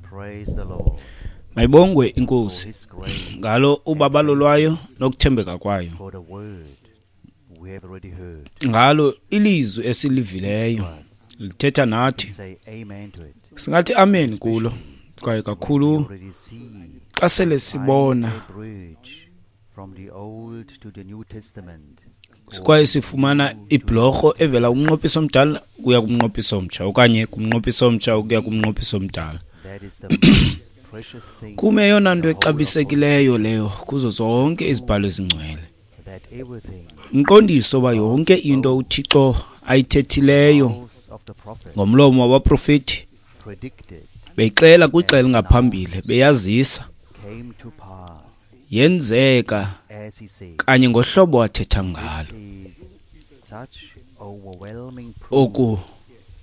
Praise the Lord Mayibongwe for inkosi his grace, ngalo ubabalo lwayo nokuthembeka kwayo, for the word we have already heard. ngalo ilizwi esilivileyo To us. lithetha nathi. Say amen to it. Singathi amen kulo, kwaye We kakhulu already see xa sele sibona a bridge from the Old to the New Testament. or kwaye sifumana ibhlorho evela kumnqophiso omdala kuya kumnqophiso omtsha okanye kumnqophiso omtsha ukuya kumnqophiso omdala. That is the most precious thing Kume eyona nto exabisekileyo leyo kuzo zonke izibhalo ezingcwele, that everything umqondiso uba yonke into uThixo ayithethileyo mouths of the prophet ngomlomo wabaprofeti predicted beyixela kwixa elingaphambili beyazisa came to pass yenzeka as he said. kanye ngohlobo athetha ngalo. This is such overwhelming proof Oku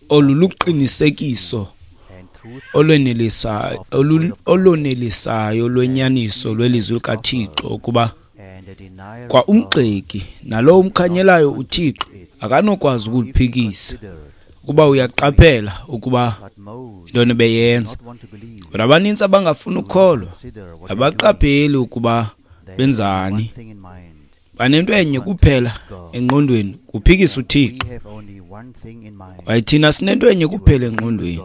olu luqinisekiso and truth olonelisayo lwenyaniso lwelizwi likaThixo ukuba and the denier kwa of God umgxeki nalowo umkhanyelayo uThixo akanokwazi ukuliphikisa considered, ukuba uyaqaphela ukuba but most intoni beyenza. not want to believe, Kodwa abanintsi abangafuni ukukholwa consider what they are doing. abaqapheli ukuba They have benzani. one thing in mind. Banento enye kuphela engqondweni, kuphikisa uThixo. We have only one thing in mind, Kwaye thina sinento enye kuphela engqondweni,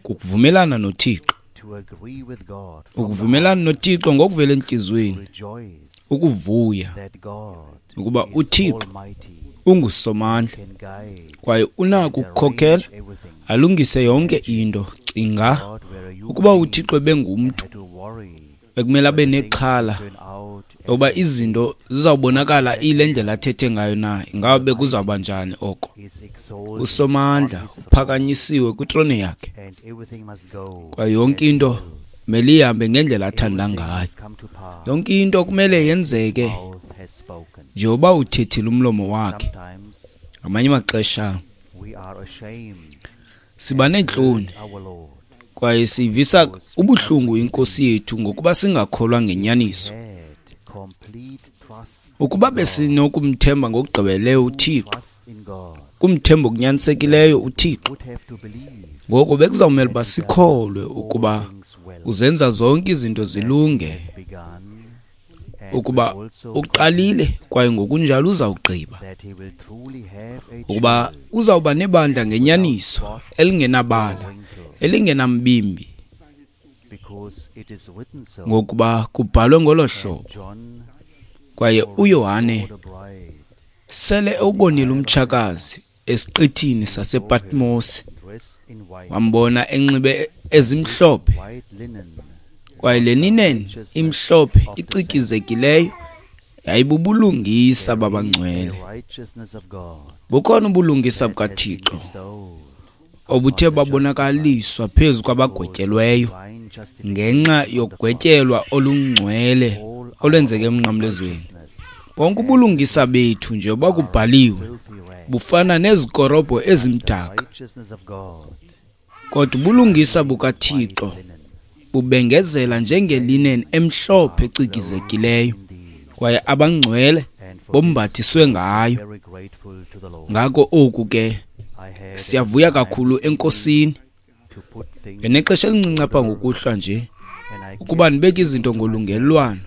kukuvumelana noThixo. to agree with God, from the Ukuvumelana noThixo ngokuvela entliziyweni, heart, rejoice ukuvuya that God ukuba is uThixo almighty, ungusomandla can guide kwaye unako and ukukhokela arrange everything. alungise yonke into. Cinga God, were a human ukuba being, uThixo ebengumntu had to worry bekumele abe whether things nexhala turn out as yokuba he izinto zizawubonakala iyile ndlela athethe ngayo na, ingaba bekuzawuba njani oko. is exalted Usomandla on his throne, uphakanyisiwe kwitrone yakhe and everything must go kwaye yonke as he into wills. kumele ihambe ngendlela athanda Everything ngayo. must come to pass Yonke into kumele as his yenzeke mouth has spoken. njengoba uthethile umlomo wakhe. Sometimes Ngamanye amaxesha we are ashamed siba neentloni to our Lord kwaye siyivisa ubuhlungu inkosi yethu ngokuba singakholwa ngenyaniso. had complete trust Ukuba besinokumthemba ngokugqibeleleyo uThixo, trust in God kumthemba okunyanisekileyo uThixo, would have to believe ngoko bekuzawumele uba that he does sikholwe all ukuba things well, uzenza zonke izinto zilunge, has begun, and ukuba will also uqalile kwaye ngokunjalo uzawugqiba, that he will truly have a ukuba church uzawuba nebandla ngenyaniso elingenabala, wrinkle, elingenambimbi, because it is written so. ngokuba kubhalwe ngolo hlobo. John Kwaye already uYohane saw the bride sele ewubonile umtshakazi esiqithini sasePatmos, dressed in white, wambona enxibe ezimhlophe, white linen, kwaye le linen imhlophe icikizekileyo yayibubulungisa babangcwele. the righteousness of God Bukhona ubulungisa that has been bukaThixo bestowed obuthe babonakaliswa phezu kwabagwetyelweyo divine justification ngenxa yogwetyelwa olungcwele all our olwenzeke emnqamlezweni. righteousness, Bonke ubulungisa bethu njengoba kubhaliwe filthy rags, bufana nezikorobho ezimdaka, righteousness of God, kodwa ubulungisa bukaThixo linen, bubengezela njengelinen emhlophe ecikizekileyo, indeed. kwaye abangcwele And for bombathiswe ngayo. this, very grateful to the Lord. Ngako oku ke I had siyavuya kakhulu eNkosini. to put things Ngenexesha elincinci apha ngokuhlwa nje and I ukuba kept ndibeke izinto ngolungelelwano,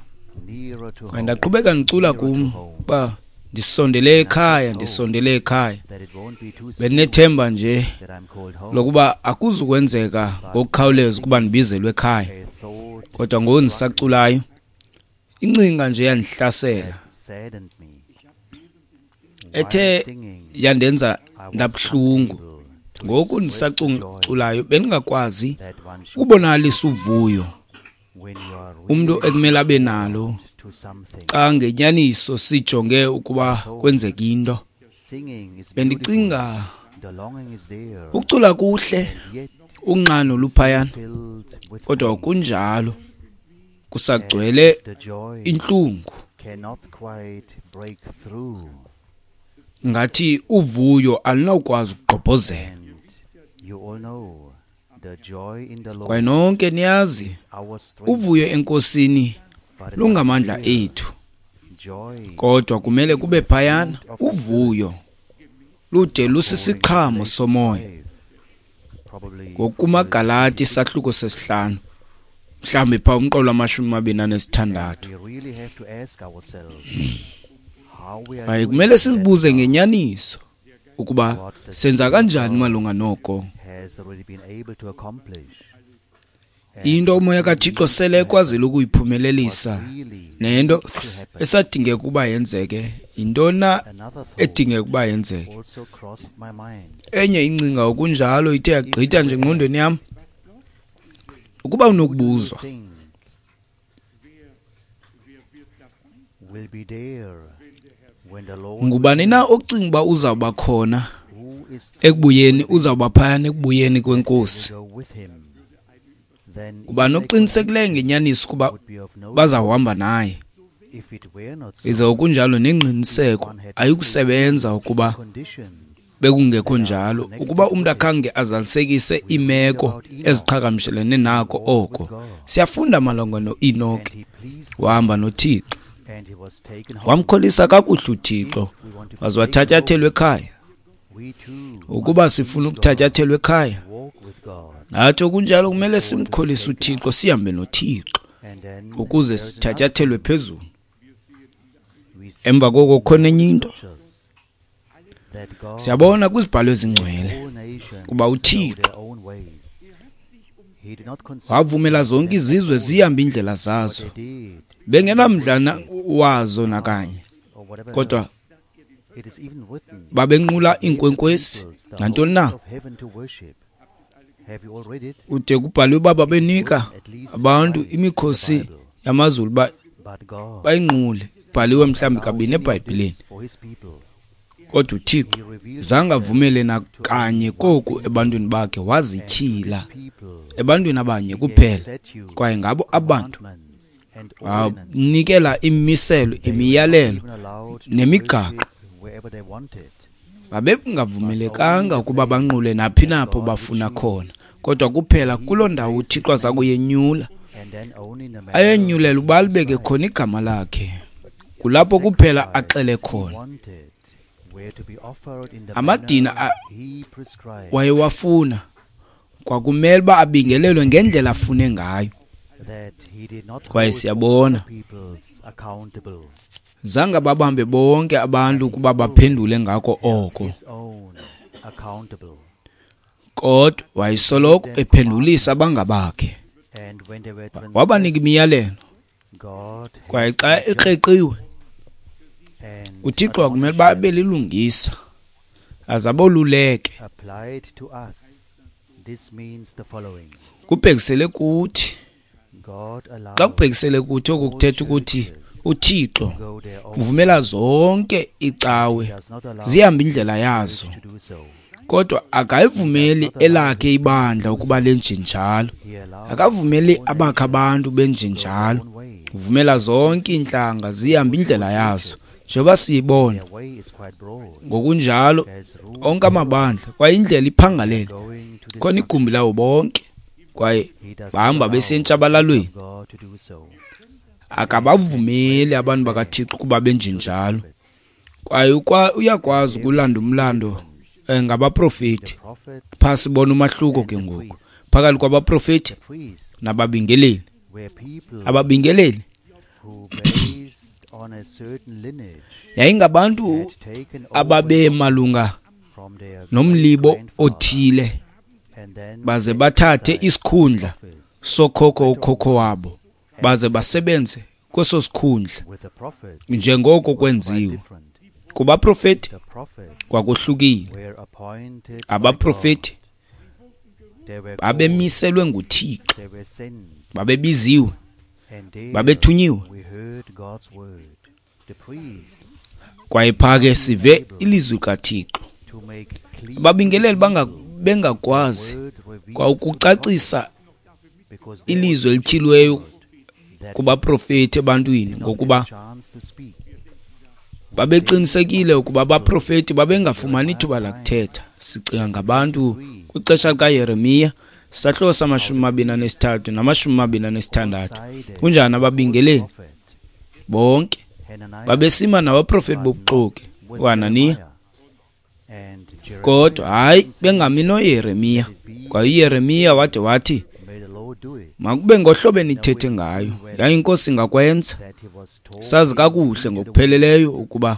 nearer to kwaye home, ndaqhubeka ndicula kum uba ndisondele ekhaya, ndisondele ekhaya. that it won't be too soon Bendinethemba nje that I'm called home. lokuba akuzukwenzeka ngokukhawuleza ukuba ndibizelwe ekhaya, A thought kodwa ngoku ndisaculayo incinga nje yandihlasela that saddened me. ethe While singing, yandenza I was ndabuhlungu. unable to Ngoku express the joy ndisaculayo bendingakwazi that one should ukubonakalisa uvuyo when you are umntu really ekumele abe nalo to something. xa ngenyaniso sijonge ukuba kwenzeka into. Singing is beautiful. Bendicinga The longing is there, ukucula kuhle, yet unxano luphayana, filled with kodwa pain, kunjalo kusagcwele as the joy intlungu. cannot quite break through. Ngathi uvuyo alunawukwazi ukugqobhozela. And you all know the joy in the Kwaye Lord nonke niyazi is our strength. uvuyo eNkosini But it must lungamandla be clear, ethu, joy kodwa kumele is kube the phayana fruit of the Spirit. uvuyo lude lusisiqhamo somoya. Probably NgokumaGalati isahluko sesihlanu Mhlawumbi phaa umqolo wama-26. Kwaye kumele sizibuze ngenyaniso ukuba senza kanjani malunga noko. Into uMoya kaThixo sele ekwazile ukuyiphumelelisa nento esadingeka ukuba yenzeke, yintoni na edingeka ukuba yenzeke? Enye ingcinga okunjalo ithe yagqitha nje engqondweni yam. Ukuba unokubuzwa, ngubani na ocinga uba uzawuba khona ekubuyeni, uzawuba phayana ekubuyeni kweNkosi? Ngubani oqinisekileyo ngenyaniso ukuba bazawuhamba naye? Ize okunjalo nengqiniseko ayikusebenza ukuba bekungekho njalo, ukuba umntu akhange azalisekise iimeko eziqhagamshelene nako oko. Siyafunda malunga noEnoki, wahamba noThixo, wamkholisa kakuhle uThixo, waze wathatyathelwa ekhaya. Ukuba sifuna ukuthatyathelwa ekhaya, nathi okunjalo kumele simkholise uThixo, sihambe noThixo ukuze sithatyathelwe phezulu. Emva koko kukhona enye into. Siyabona kwizibhalo ezingcwele kuba uThixo wavumela zonke izizwe zihambe iindlela zazo, bengenamdla wazo nakanye, kodwa babenqula iinkwenkwezi nantoni na. Kude kubhalwe uba babenika abantu imikhosi yamazulu uba bayinqule. Kubhaliwe mhlawumbi kabini eBhayibhileni. Kodwa uThixo zange avumele nakanye koku ebantwini bakhe, wazityhila ebantwini abanye kuphela, kwaye ngabo abantu wanikela imimiselo, imiyalelo nemigaqo. Babengavumelekanga ukuba banqule naphi napho bafuna khona, kodwa kuphela kuloo ndawo uThixo aza kuyenyula, ayenyulela uba alibeke khona igama lakhe. Kulapho kuphela axele khona. Amadina wayewafuna kwakumele uba abingelelwe ngendlela afune ngayo. Kwaye siyabona zange babambe bonke abantu ukuba baphendule ngako oko, kodwa wayesoloko ephendulisa abangabakhe. Wabanika imiyalelo, kwaye xa ekreqiwe uThixo wakumele uba abe lilungisa aze aboluleke. Kubhekisele kuthi, xa kubhekisele kuthi oku kuthetha ukuthi uThixo uvumela zonke iicawe zihambe indlela yazo, kodwa akayivumeli elakhe ibandla ukuba lenjenjalo. Akavumeli abakhe abantu benjenjalo. Uvumela zonke iintlanga zihambe indlela yazo, njengoba siyibona ngokunjalo onke amabandla, kwaye indlela iphangalele, khona igumbi lawo bonke, kwaye bahamba besentshabalalweni. Akabavumeli abantu bakaThixo ukuba benjenjalo, kwaye uyakwazi ukulanda umlando ngabaprofeti. Phaa sibona umahluko ke ngoku phakathi kwabaprofeti nababingeleli. Ababingeleli yayingabantu ababemalunga nomlibo othile, baze bathathe isikhundla sokhokho ukhokho wabo, baze basebenze kweso sikhundla njengoko kwenziwa. Kubaprofeti kwakuhlukile. Abaprofeti babemiselwe nguThixo, babebiziwe, babethunyiwe. Kwaye phaa ke sive ilizwi kaThixo. Ababingeleli bengakwazi kwa ukucacisa ilizwi elityhiliweyo kubaprofeti ebantwini, ngokuba babeqinisekile ukuba abaprofeti babengafumani ithuba lakuthetha. Sicinga ngabantu kwixesha likaYeremiya, sahluko sama-23 nama-26. Kunjani ababingeleli bonke babesima nabaprofeti bobuxoki, uHananiya, kodwa hayi bengami noYeremiya. Kwaye uYeremiya wade wathi, Makube ngohlobo enithethe ngayo, yaye iNkosi ingakwenza. Sazi kakuhle ngokupheleleyo ukuba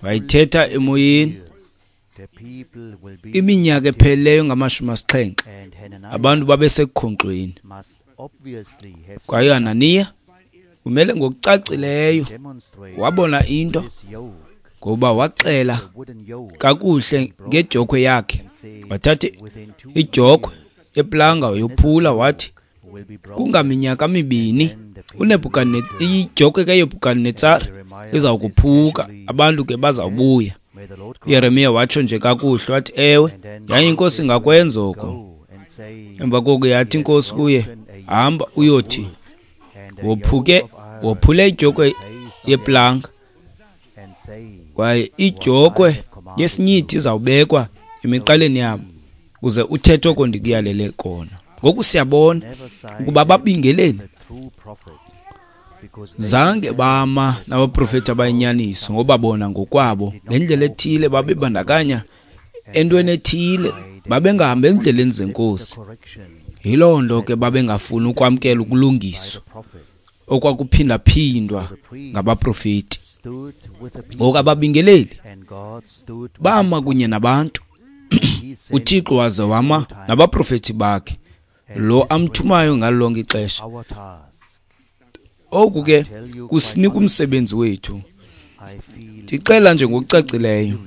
wayithetha emoyeni. Iminyaka epheleleyo ngama-70 abantu babesekukhonkxweni. Kwaye uHananiya kumele ngokucacileyo wabona into, ngoba waxela kakuhle ngedyokhwe yakhe. Wathatha idyokhwe yeplanga wayophula, wathi kungaminyaka mibini idyokhwe kaNebhukadenetsare iza kuphuka, abantu ke bazawubuya. uYeremiya watsho nje kakuhle wathi, ewe, yaye iNkosi ingakwenza oko. Emva koko yathi iNkosi kuye, hamba uyothi wophule idyokhwe yeplanga, kwaye idyokhwe yesinyithi izawubekwa emiqaleni yabo, uze uthethe oko ndikuyalele kona. Ngoku siyabona ukuba ababingeleli zange bama nabaprofeti abayinyaniso, ngoba bona ngokwabo ngendlela ethile babebandakanya entweni ethile, babengahambi endleleni zeNkosi. Yiloo nto ke babengafuni ukwamkela ukulungiswa okwakuphindaphindwa ngabaprofeti. Ngoku ababingeleli bama kunye nabantu, uThixo waze wama nabaprofeti bakhe, lo amthumayo ngalo lonke ixesha. Oku ke kusinika umsebenzi wethu. Ndixela nje ngokucacileyo,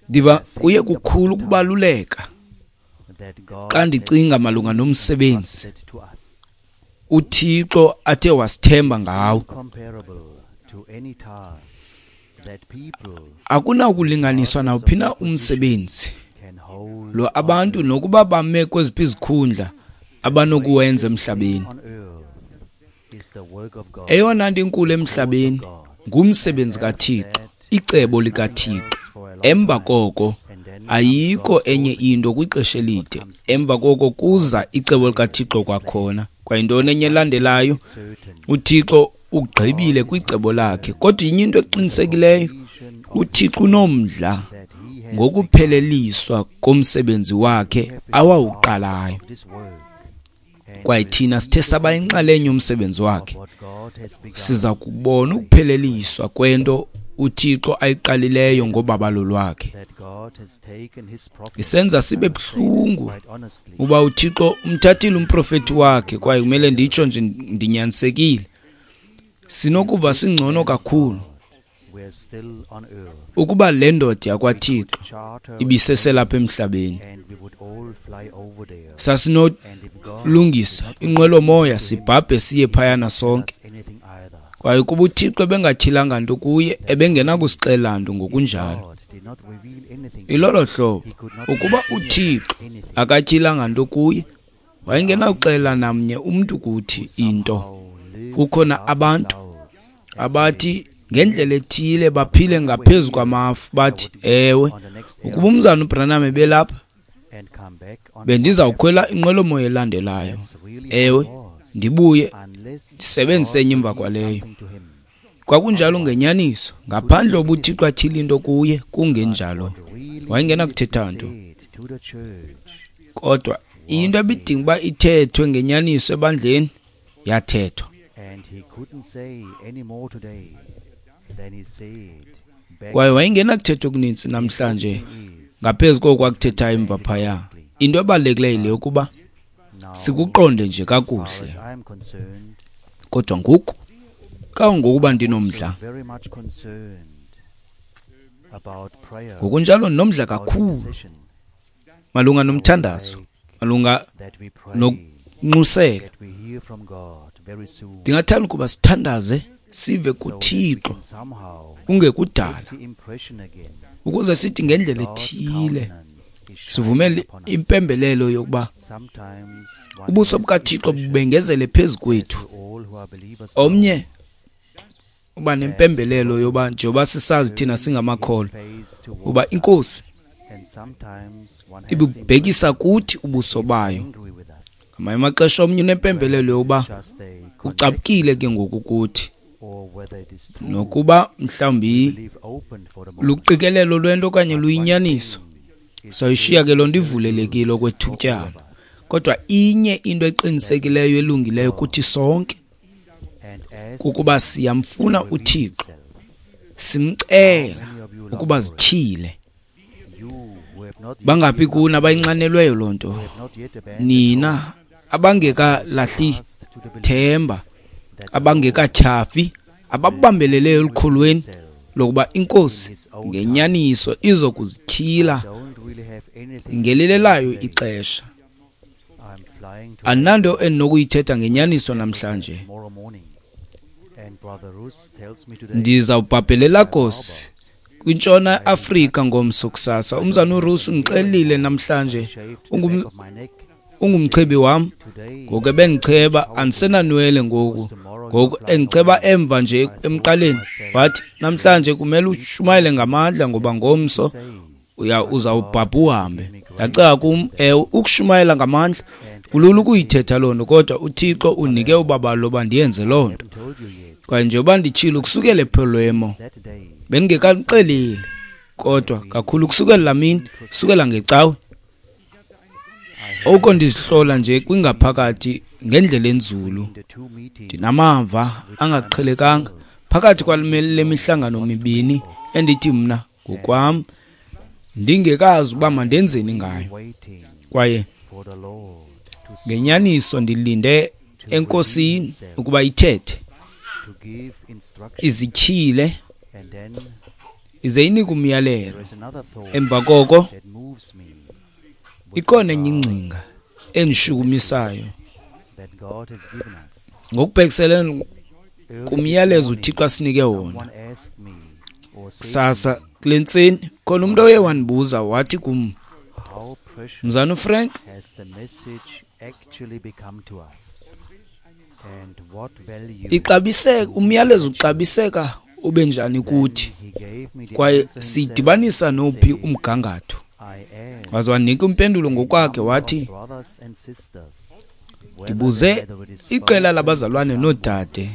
ndiva kuye kukhulu ukubaluleka xa ndicinga malunga nomsebenzi uThixo athe wasithemba ngawo. Akunakulinganiswa nawuphi na umsebenzi lo abantu nokuba bame kweziphi izikhundla abanokuwenza emhlabeni. Eyona nto inkulu emhlabeni ngumsebenzi kaThixo, icebo likaThixo. Emva koko ayikho enye into kwixesha elide. Emva koko kuza icebo likaThixo kwakhona. Kwayintoni enye elandelayo? uThixo ugqibile kwicebo lakhe. Kodwa inye into eqinisekileyo, uThixo unomdla ngokupheleliswa komsebenzi wakhe awawuqalayo. Kwaye thina sithe saba yinxalenye yomsebenzi wakhe, siza kubona ukupheleliswa kwento uThixo ayiqalileyo ngobabalo lwakhe. Isenza sibe buhlungu uba uThixo umthathile umprofeti wakhe, kwaye kumele nditsho nje ndinyanisekile, sinokuva singcono kakhulu ukuba le ndoda yakwaThixo ibiseselapha emhlabeni. Sasinolungisa inqwelomoya sibhabhe siye phayana sonke. Kwaye kuba uThixo ebengatyhilanga nto kuye, ebengenakusixela nto ngokunjalo. Ilolo hlobo, ukuba uThixo akatyhilanga nto kuye, wayengenakuxela namnye umntu kuthi into. Kukhona abantu abathi ngendlela ethile baphile ngaphezu kwamafu, bathi, ewe, ukuba umzana uBranham ebelapha, bendizawukhwela inqwelomoya elandelayo. Ewe, ndibuye ndisebenzise enye emva kwaleyo. Kwakunjalo ngenyaniso, ngaphandle ubuThixo atyhile into kuye, kungenjalo wayengenakuthetha nto. Kodwa into ebidinga uba ithethwe ngenyaniso ebandleni yathethwa. Kwaye wayengenakuthetha okuninzi namhlanje ngaphezu koko akuthethayo emva phaya. Into ebalulekileyo yile yokuba sikuqonde nje kakuhle. Kodwa ngoku, kangangokuba ndinomdla, ngokunjalo ndinomdla kakhulu malunga nomthandazo, malunga nokunxusela. Ndingathanda ukuba sithandaze sive kuThixo kungekudala, ukuze sithi ngendlela ethile sivumele impembelelo yokuba ubuso bukaThixo bubengezele phezu kwethu. Omnye uba nempembelelo yoba njengoba sisazi thina singamakholwa uba iNkosi ibubhekisa kuthi ubuso bayo. Ngamanye amaxesha omnye unempembelelo yokuba ucaphukile ke ngoku kuthi, nokuba mhlawumbi luqikelelo lwento okanye luyinyaniso, sayishiya ke loo nto ivulelekile okwethutyana. Kodwa inye into eqinisekileyo elungileyo kuthi sonke kukuba siyamfuna uThixo, simcela ukuba zityhile. Bangaphi kuni abayinxanelweyo loo nto? Nina abangekalahli themba, abangekatyhafi, ababambeleleyo elukholweni lokuba iNkosi ngenyaniso izokuzityhila ngelilelayo ixesha. Andinanto endinokuyithetha ngenyaniso namhlanje. Ndizawubhabhela eLagos kwintshona Afrika ngomso kusasa. Umzana uRusi undixelile namhlanje, ungumchebi wam. Ngoku ebendicheba, andisenanwele ngoku. Ngoku endicheba emva nje emqaleni, wathi namhlanje kumele ushumayele ngamandla ngoba ngomso uzawubhabha uhambe. Ndacinga kum, ewe, ukushumayela ngamandla kulula ukuyithetha loo nto, kodwa uThixo undinike ubabalo loba ndiyenze loo nto. Kwaye njengoba nditshilo ukusukela ePalermo, bendingekanixeleli, kodwa kakhulu ukusukela laa mini, ukusukela ngecawe, oko ndizihlola nje kwingaphakathi ngendlela enzulu. Ndinamava angaqhelekanga phakathi kwale mihlangano mibini endithi mna ngokwam ndingekazi uba mandenzeni ngayo. Kwaye ngenyaniso ndilinde eNkosini ukuba ithethe, izityhile, ize inike umyalelo. Emva koko ikhona enye ingcinga endishukumisayo ngokubhekiselele kumyalezo uThixo asinike wona. Kusasa kule ntseni khona umntu oye wandibuza wathi kum, Mzana uFrank, ixabiseka umyalezo uxabiseka ube njani kuthi, kwaye siyidibanisa nophi umgangatho? Waze wanika impendulo ngokwakhe wathi, ndibuze iqela labazalwane noodade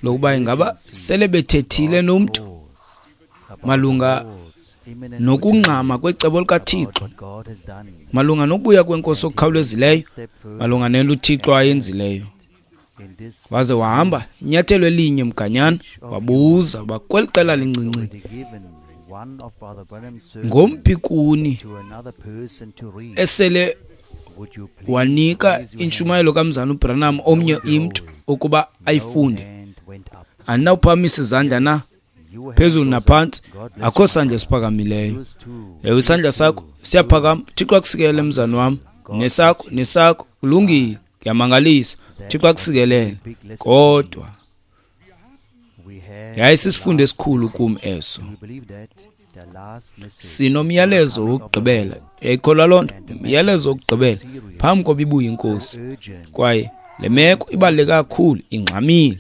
lokuba ingaba sele bethethile nomntu malunga nokungxama kwecebo likaThixo, malunga nokubuya kwenkosi okukhawulezileyo, malunga nento uThixo ayenzileyo. Waze wahamba inyathelo elinye mganyana, wabuza uba kweli qela lincinci ngomphi kuni esele wanika intshumayelo kaMzana uBranham omnye imntu ukuba ayifunde. Andinawuphakamisa izandla na? Phezulu naphantsi, akho sandla esiphakamileyo. Ewe, isandla sakho siyaphakama. Thixo akusikelele mzana wam, nesakho, nesakho, kulungile, kuyamangalisa. Thixo akusikelele. Kodwa yayisisifundo esikhulu kum eso. Sinomyalezo wokugqibela. Uyayikholwa loo nto? Umyalezo wokugqibela phambi koba ibuye iNkosi. Kwaye le meko ibaluleke kakhulu, ingxamile,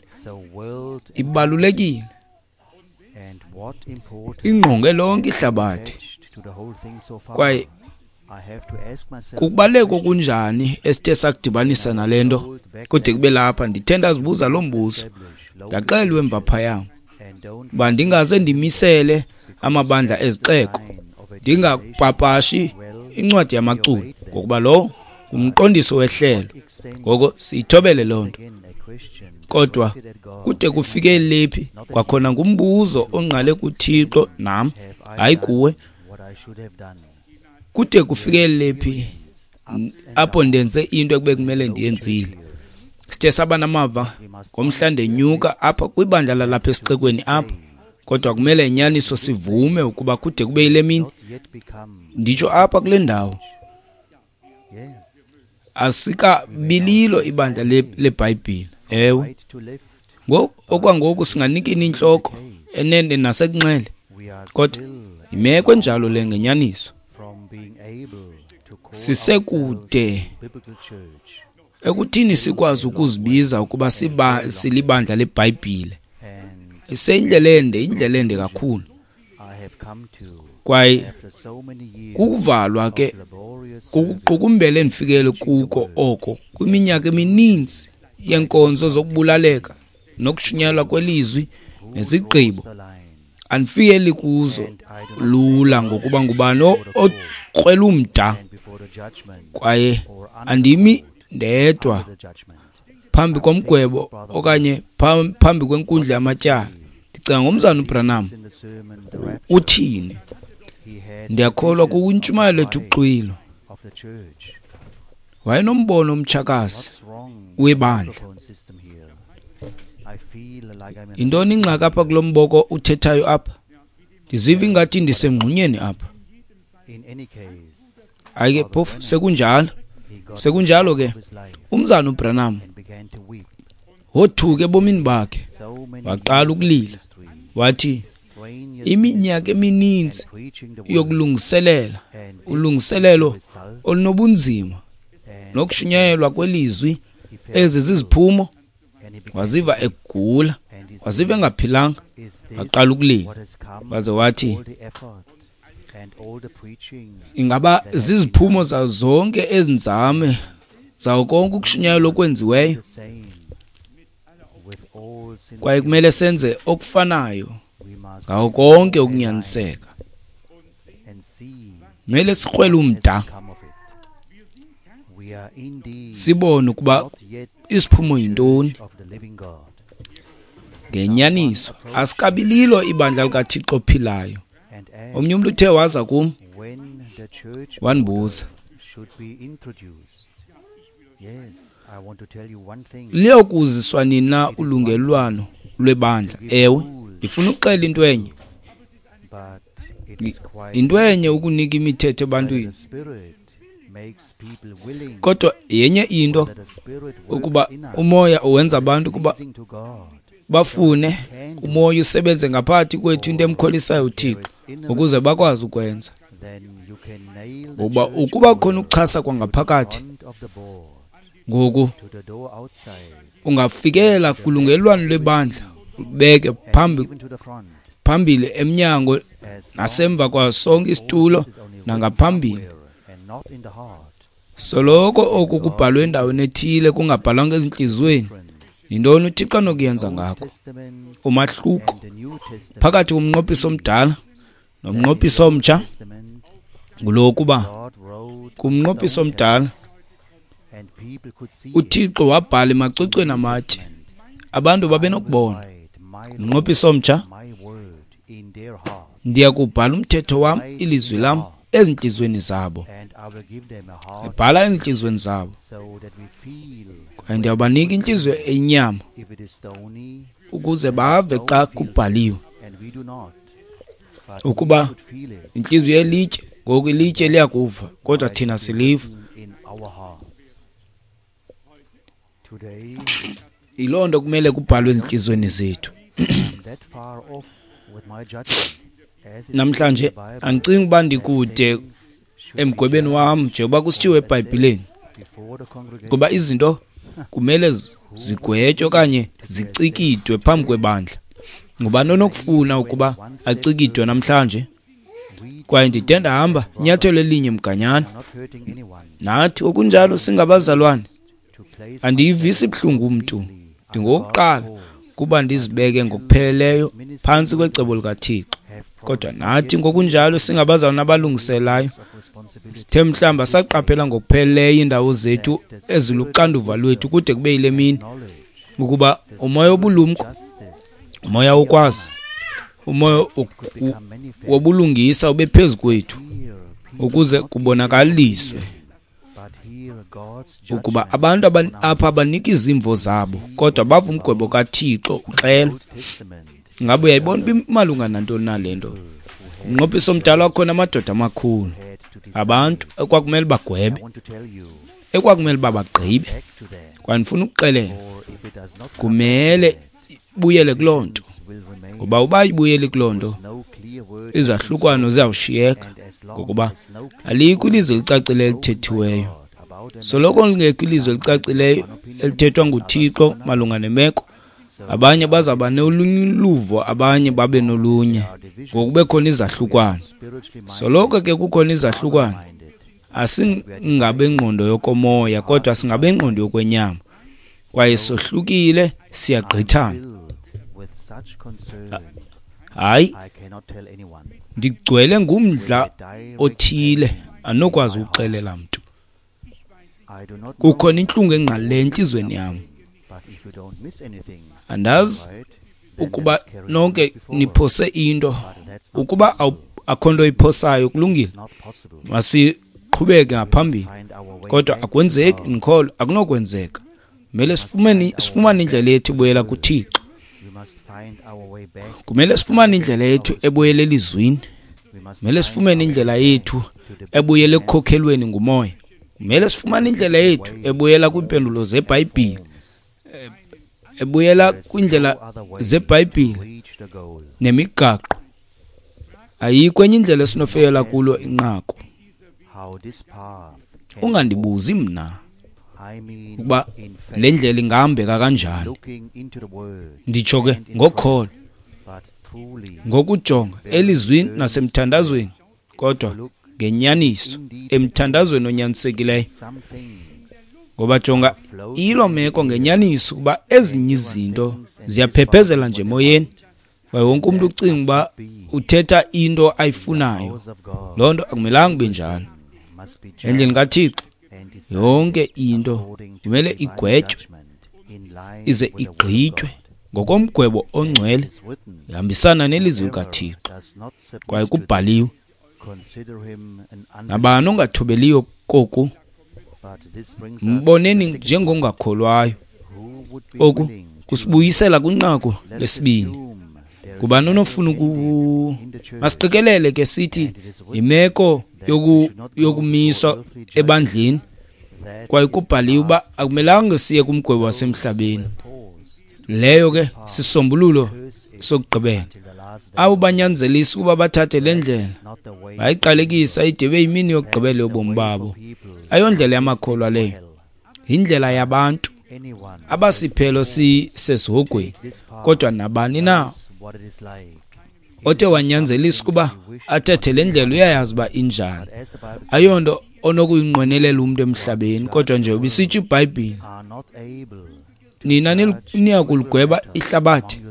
ibalulekile, ingqonge lonke ihlabathi. Kwaye kukubaluleka okunjani esithe sakudibanisa nale nto kude kube lapha. Ndithe ndazibuza loo mbuzo, ndaxelelwa emva phaya uba ndingaze ndimisele amabandla ezixeko, ndingapapashi incwadi yamaculo, ngokuba lowo ngumqondiso wehlelo. Ngoko siyithobele loo nto. Kodwa kude kufike lephi kwakhona ngumbuzo ongqale kuThixo nam, hayi kuwe. Kude kufike lephi apho ndenze into ekube kumele ndiyenzile. Sithe saba namava ngomhla ndenyuka apha kwibandla lalapha esixekweni apha, kodwa kumele inyaniso sivume ukuba kude kube yile mini nditsho apha kule ndawo asikabililo ibandla leBhayibhile. Ewe, ngoku okwangoku singanikini intloko enene nasekunxele, kodwa imeko enjalo le ngenyaniso. Sisekude ekuthini sikwazi ukuzibiza ukuba silibandla leBhayibhile. Iseyindlela ende, indlela ende kakhulu. Kwaye kukuvalwa ke kukuqukumbela endifikele kuko oko kwiminyaka emininzi yenkonzo zokubulaleka nokushunyayelwa kwelizwi nezigqibo. Andifikeli kuzo lula ngokuba ngubani okrwela umda Kwaye andimi ndedwa phambi komgwebo okanye phambi kwenkundla yamatyala. Ndicinga ngomzana uBranham uthini? Ndiyakholwa kukwintshumayelo ethi uxwilo. Wayenombono omtshakazi webandla. Yintoni ingxaki apha kulo mboko uthethayo apha? Ndiziva ingathi ndisemngxunyeni apha. Hayi ke phofu sekunjalo. Sekunjalo ke umzana uBranham wothuka ebomini bakhe, waqala ukulila. Wathi iminyaka emininzi yokulungiselela, ulungiselelo olunobunzima nokushunyayelwa kwelizwi, ezi ziziphumo. Waziva egula, waziva engaphilanga, waqala ukulila. Waze wathi ingaba ziziphumo zazo zonke ezinzame zawo konke ukushunyayelwa okwenziweyo? Kwaye kumele senze okufanayo ngawo konke ukunyaniseka. Kumele sikrwele umda, sibone ukuba isiphumo yintoni. Ngenyaniso asikabililo ibandla likaThixo ophilayo. Omnye umntu uthe waza kum wandibuza, liyokuziswa nini na ulungelelwano lwebandla? Ewe, ndifuna ukuxela into enye. Into enye ukunika imithetho ebantwini, kodwa yenye into ukuba umoya uwenza abantu ukuba bafune umoya usebenze ngaphakathi kwethu, into emkholisayo uThixo, ukuze bakwazi ukwenza. Ngoba ukuba khona ukuchasa kwangaphakathi, ngoku ungafikela kulungelelwano lwebandla, ubeke phambili emnyango nasemva kwaso sonke isitulo nangaphambili. Soloko oku kubhalwe endaweni ethile, kungabhalwanga ezintliziyweni, yintoni uThixo anokuyenza ngakho? Umahluko phakathi komnqophiso omdala nomnqophiso omtsha ngulo kuba kumnqophiso omdala uThixo wabhala emacwecweni amatye, abantu babenokubona. Umnqophiso omtsha, ndiyakubhala umthetho wam, ilizwi lam ezintliziyweni zabo. Ebhala ezintliziyweni zabo, kwaye ndiyabanika intliziyo eyinyama ukuze bave xa kubhaliwe. Ukuba intliziyo yelitye, ngoku ilitye liyakuva, kodwa thina siliva. Yiloo nto kumele kubhalwe ezintliziyweni zethu. Namhlanje andicingi uba ndikude emgwebeni wam njengoba kusitshiwo eBhayibhileni, kuba izinto kumele zigwetywe okanye zicikidwe phambi kwebandla. Ngubani onokufuna ukuba acikidwe namhlanje? Kwaye ndide ndahamba inyathelo elinye mganyana. Nathi okunjalo singabazalwane, andiyivisi buhlungu umntu. Ndingowokuqala kuba ndizibeke ngokupheleleyo phantsi kwecebo likaThixo. Kodwa nathi ngokunjalo singabazalwane abalungiselayo, sithe mhlawumbi asaqaphela ngokupheleleyo iindawo zethu eziluxanduva lwethu kude kube yile mini, ukuba umoya wobulumko, umoya wokwazi, umoya wobulungisa ube phezu kwethu, ukuze kubonakaliswe ukuba abantu apha abanika izimvo zabo, kodwa bava umgwebo kaThixo uxela. Ngabe uyayibona uba imalunga nantoni na le nto? Umnqophiso omdala wakhona amadoda amakhulu, abantu ekwakumele bagwebe, ekwakumele uba bagqibe. Kwaye ndifuna ukuxelela, kumele ibuyele kuloo nto, ngoba uba ibuyeli kuloo nto, izahlukwana ziyawushiyeka, ngokuba alikho ilizwi elicacileyo elithethiweyo. Soloko lingekho ilizwi elicacileyo elithethwa nguThixo malunga nemeko, abanye bazawuba nolunye uluvo, abanye babe nolunye, ngokube khona izahlukwana. Soloko ke kukhona izahlukwana, asingabengqondo yokomoya, kodwa singabengqondo yokwenyama, kwaye sohlukile, siyagqithana. Hayi, ndigcwele ngumdla othile, andinokwazi ukuxelela mntu. Kukhona intlungu engqalileyo entliziyweni yam. Andazi ukuba nonke niphose into. Ukuba akho nto iphosayo, kulungile, masiqhubeke ngaphambili. Kodwa akwenzeki, ndikholwa akunokwenzeka. Kumele sifumane indlela yethu ebuyela kuThixo. Kumele sifumane indlela yethu ebuyela elizwini. Kumele sifumane indlela yethu ebuyela ekukhokhelweni nguMoya. Kumele sifumane indlela yethu ebuyela kwiimpendulo zeBhayibhile, ebuyela kwiindlela zeBhayibhile nemigaqo. Ayikho enye indlela esinofeyela kulo inqaku. Ungandibuzi mna ukuba le ndlela ingahambeka kanjani. Nditsho ke ngokholo, ngokujonga elizwini nasemthandazweni, kodwa ngenyaniso emthandazweni onyanisekileyo. Ngoba jonga ilo meko ngenyaniso ukuba ezinye izinto ziyaphephezela nje emoyeni, kwaye wonke umntu ucinga uba uthetha into ayifunayo. Loo nto akumelanga kube njalo. Endlini kaThixo yonke into kumele igwetywe ize igqitywe ngokomgwebo ongcwele, ihambisana nelizwi likaThixo. Kwaye kubhaliwe, nabani ongathobeliyo koku mboneni njengongakholwayo. Oku kusibuyisela kwinqaku lesibini. Ngubani onofuna masiqikelele ke sithi yimeko yokumiswa ebandleni, kwaye kubhaliwe uba akumelanga siye kumgwebo wasemhlabeni. Leyo ke sisombululo sokugqibela. Abo banyanzelisa ukuba bathathe le ndlela bayiqalekisa ide ibe yimini yokugqibela yobomi babo. Ayondlela yamakholwa leyo, yindlela yabantu abasiphelo sisesihogweni. Kodwa nabani na othe wanyanzelisa ukuba athethe le ndlela uyayazi uba injani. Ayonto onokuyinqwenelela umntu emhlabeni, kodwa nje ubisitsho iBhayibhile, nina niyakuligweba ihlabathi.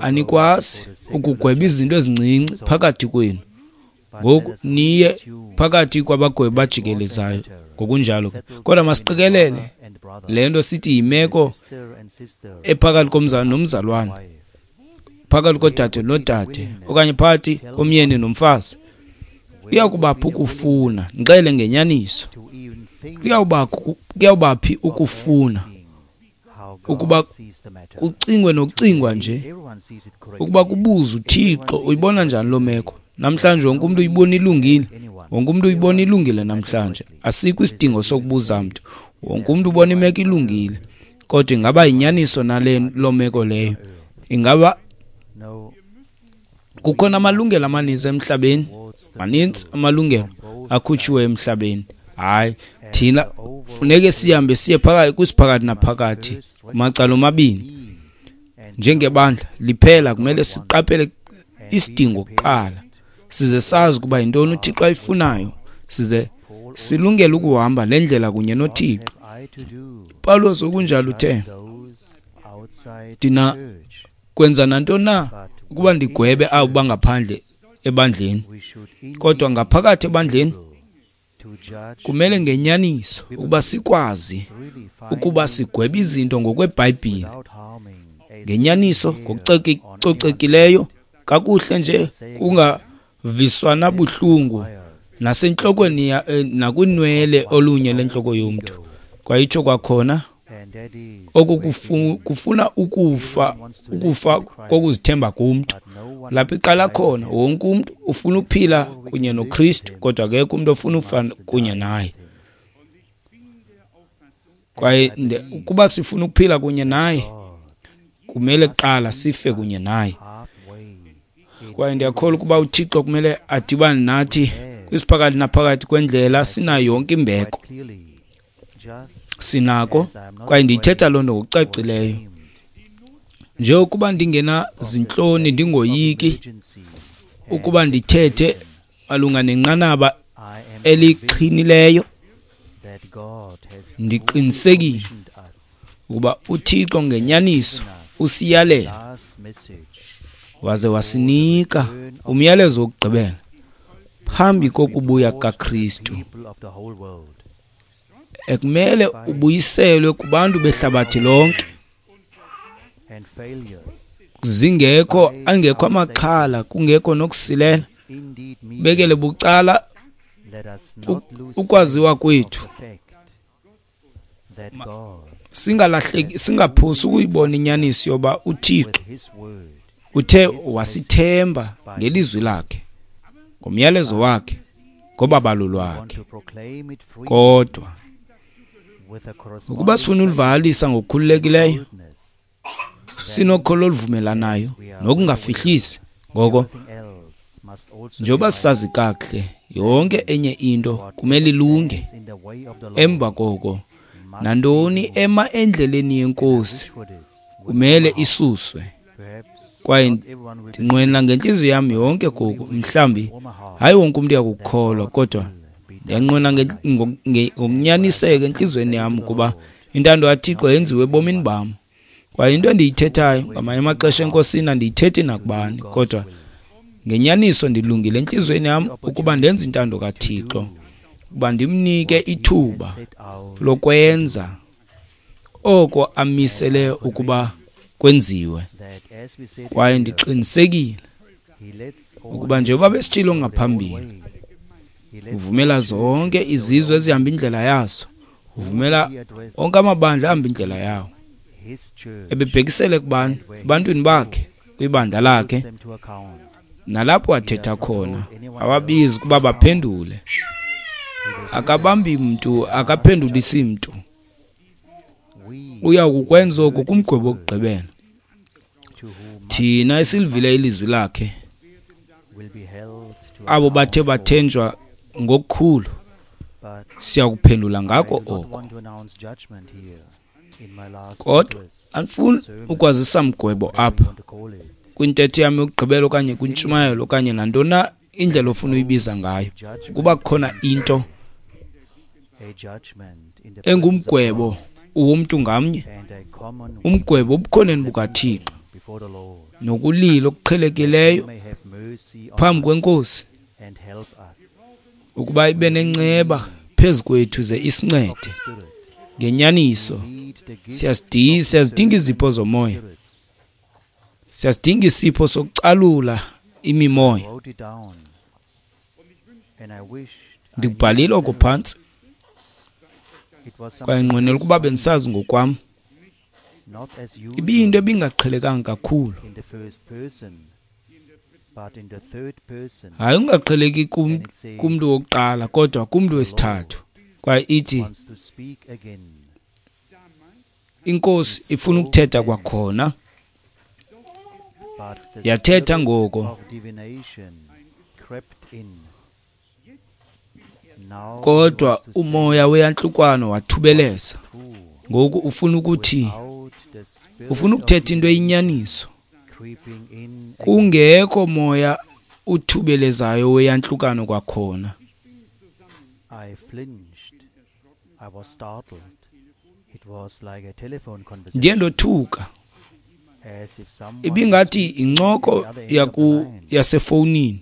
Anikwazi ukugweba izinto ezincinci phakathi kwenu. Ngoku niye phakathi kwabagwebi bajikelezayo ngokunjalo. Kodwa masiqikelele le nto sithi yimeko ephakathi komzalwane nomzalwane, phakathi kodade nodade, okanye phakathi komyeni nomfazi. Kuyakubaphi ukufuna, ndixele ngenyaniso, kuyawubaphi ukufuna ukuba kucingwe nokucingwa nje, ukuba kubuzwe uThixo uyibona njani loo meko. Namhlanje wonke umuntu uyibona ilungile, wonke umuntu uyibona ilungile namhlanje. Asikho isidingo sokubuza mntu, wonke umuntu ubona imeko ilungile. Kodwa ingaba yinyaniso nale loo meko leyo? Ingaba kukhona amalungelo amaninzi emhlabeni? Maninzi amalungelo akhutshiwe emhlabeni. Hayi, thina funeke sihambe siye phakathi kwisiphakathi naphakathi kumacala omabini. Njengebandla liphela kumele siqaphele isidingo kuqala, size sazi ukuba yintoni uThixo ayifunayo, size silungele ukuhamba le ndlela kunye noThixo. Pawulos okunjalo uthe, ndina kwenza nantoni na ukuba ndigwebe abo bangaphandle ebandleni, kodwa ngaphakathi ebandleni kumele ngenyaniso ukuba sikwazi ukuba sigwebe izinto ngokweBhayibhile, ngenyaniso, ngokucocekileyo, kakuhle nje, kungaviswana buhlungu nasentlokweni nakwinwele olunye lentloko yomntu. Kwayitsho kwakhona oku kufuna ukufa, ukufa kokuzithemba kumntu. Lapho iqala khona, wonke umntu ufuna ukuphila kunye noKristu, kodwa akekho umntu ofuna ukufa kunye naye. Kwaye ukuba sifuna ukuphila kunye naye, kumele kuqala sife kunye naye. Kwaye ndiyakholwa ukuba uThixo kumele adibane nathi kwisiphakathi naphakathi kwendlela. Sinayo yonke imbeko, sinako, kwaye ndiyithetha loo nto ngokucacileyo. Njengokuba ndingena zintloni, ndingoyiki ukuba ndithethe malunga nenqanaba elixhinileyo, ndiqinisekile ukuba uThixo ngenyaniso usiyalela waze wasinika umyalezo wokugqibela phambi kokubuya kaKristu. Ekumele ubuyiselwe kubantu behlabathi lonke, zingekho angekho amaxhala, kungekho nokusilela, bekele bucala ukwaziwa kwethu. Singalahleki, singaphosi ukuyibona inyaniso yoba uThixo uthe wasithemba ngelizwi lakhe, ngomyalezo wakhe, ngobabalo lwakhe. Kodwa ukuba sifuna ulivakalisa ngokukhululekileyo, sinokholo oluvumelanayo nokungafihlisi, ngoko njengoba sisazi kakuhle, yonke enye into kumele ilunge. Emva koko nantoni ema endleleni yeNkosi kumele isuswe. Kwaye ndinqwenela ngentliziyo yam yonke koku, mhlawumbi hayi wonke umntu uyakukholwa, kodwa ndiyanqwena ngokunyaniseka entliziyweni yam ukuba intando kaThixo yenziwe ebomini bam. Kwaye into endiyithethayo ngamanye amaxesha eNkosini andiyithethi nakubani, kodwa ngenyaniso ndilungile entliziyweni yam ukuba ndenze intando kaThixo, ukuba ndimnike ithuba lokwenza oko amisele ukuba kwenziwe. Kwaye ndiqinisekile ukuba njengoba besitshilo ngaphambili, uvumela zonke izizwe ezihamba indlela yazo, uvumela onke amabandla ahamba indlela yawo. Ebebhekisele kubani? Ebantwini bakhe, kwibandla lakhe, nalapho athetha khona awabizi ukuba baphendule. Akabambi mntu, akaphendulisi mntu. Uya kukwenza oku kumgwebo wokugqibela. Thina esilivile ilizwi lakhe, abo bathe bathenjwa ngokukhulu, siya kuphendula ngako oko. Kodwa andifuni ukwazisa mgwebo apha kwintetho yam yokugqibela okanye kwintshumayelo okanye nantoni na indlela ofuna uyibiza ngayo, ukuba kukhona into engumgwebo womntu ngamnye, umgwebo obukhoneni bukaThixo nokulila okuqhelekileyo phambi kweNkosi, ukuba ibe nenceba phezu kwethu ze isincede. Ngenyaniso siyazidinga izipho zomoya, siyazidinga isipho sokucalula imimoya. Ndikubhalile oko phantsi, kwaye nqwenela ukuba bendisazi ngokwam. Ibiyinto ebingaqhelekanga kakhulu, hayi ungaqheleki kumntu wokuqala, kodwa kumntu wesithathu. Kwaye ithi iNkosi ifuna ukuthetha kwakhona. Yathetha ngoko, kodwa umoya weyantlukwano wathubeleza. Ngoku ufuna ukuthi, ufuna ukuthetha into eyinyaniso, kungekho moya uthubelezayo weyantlukano kwakhona. Ndiye ndothuka. Ibingathi incoko yasefowunini,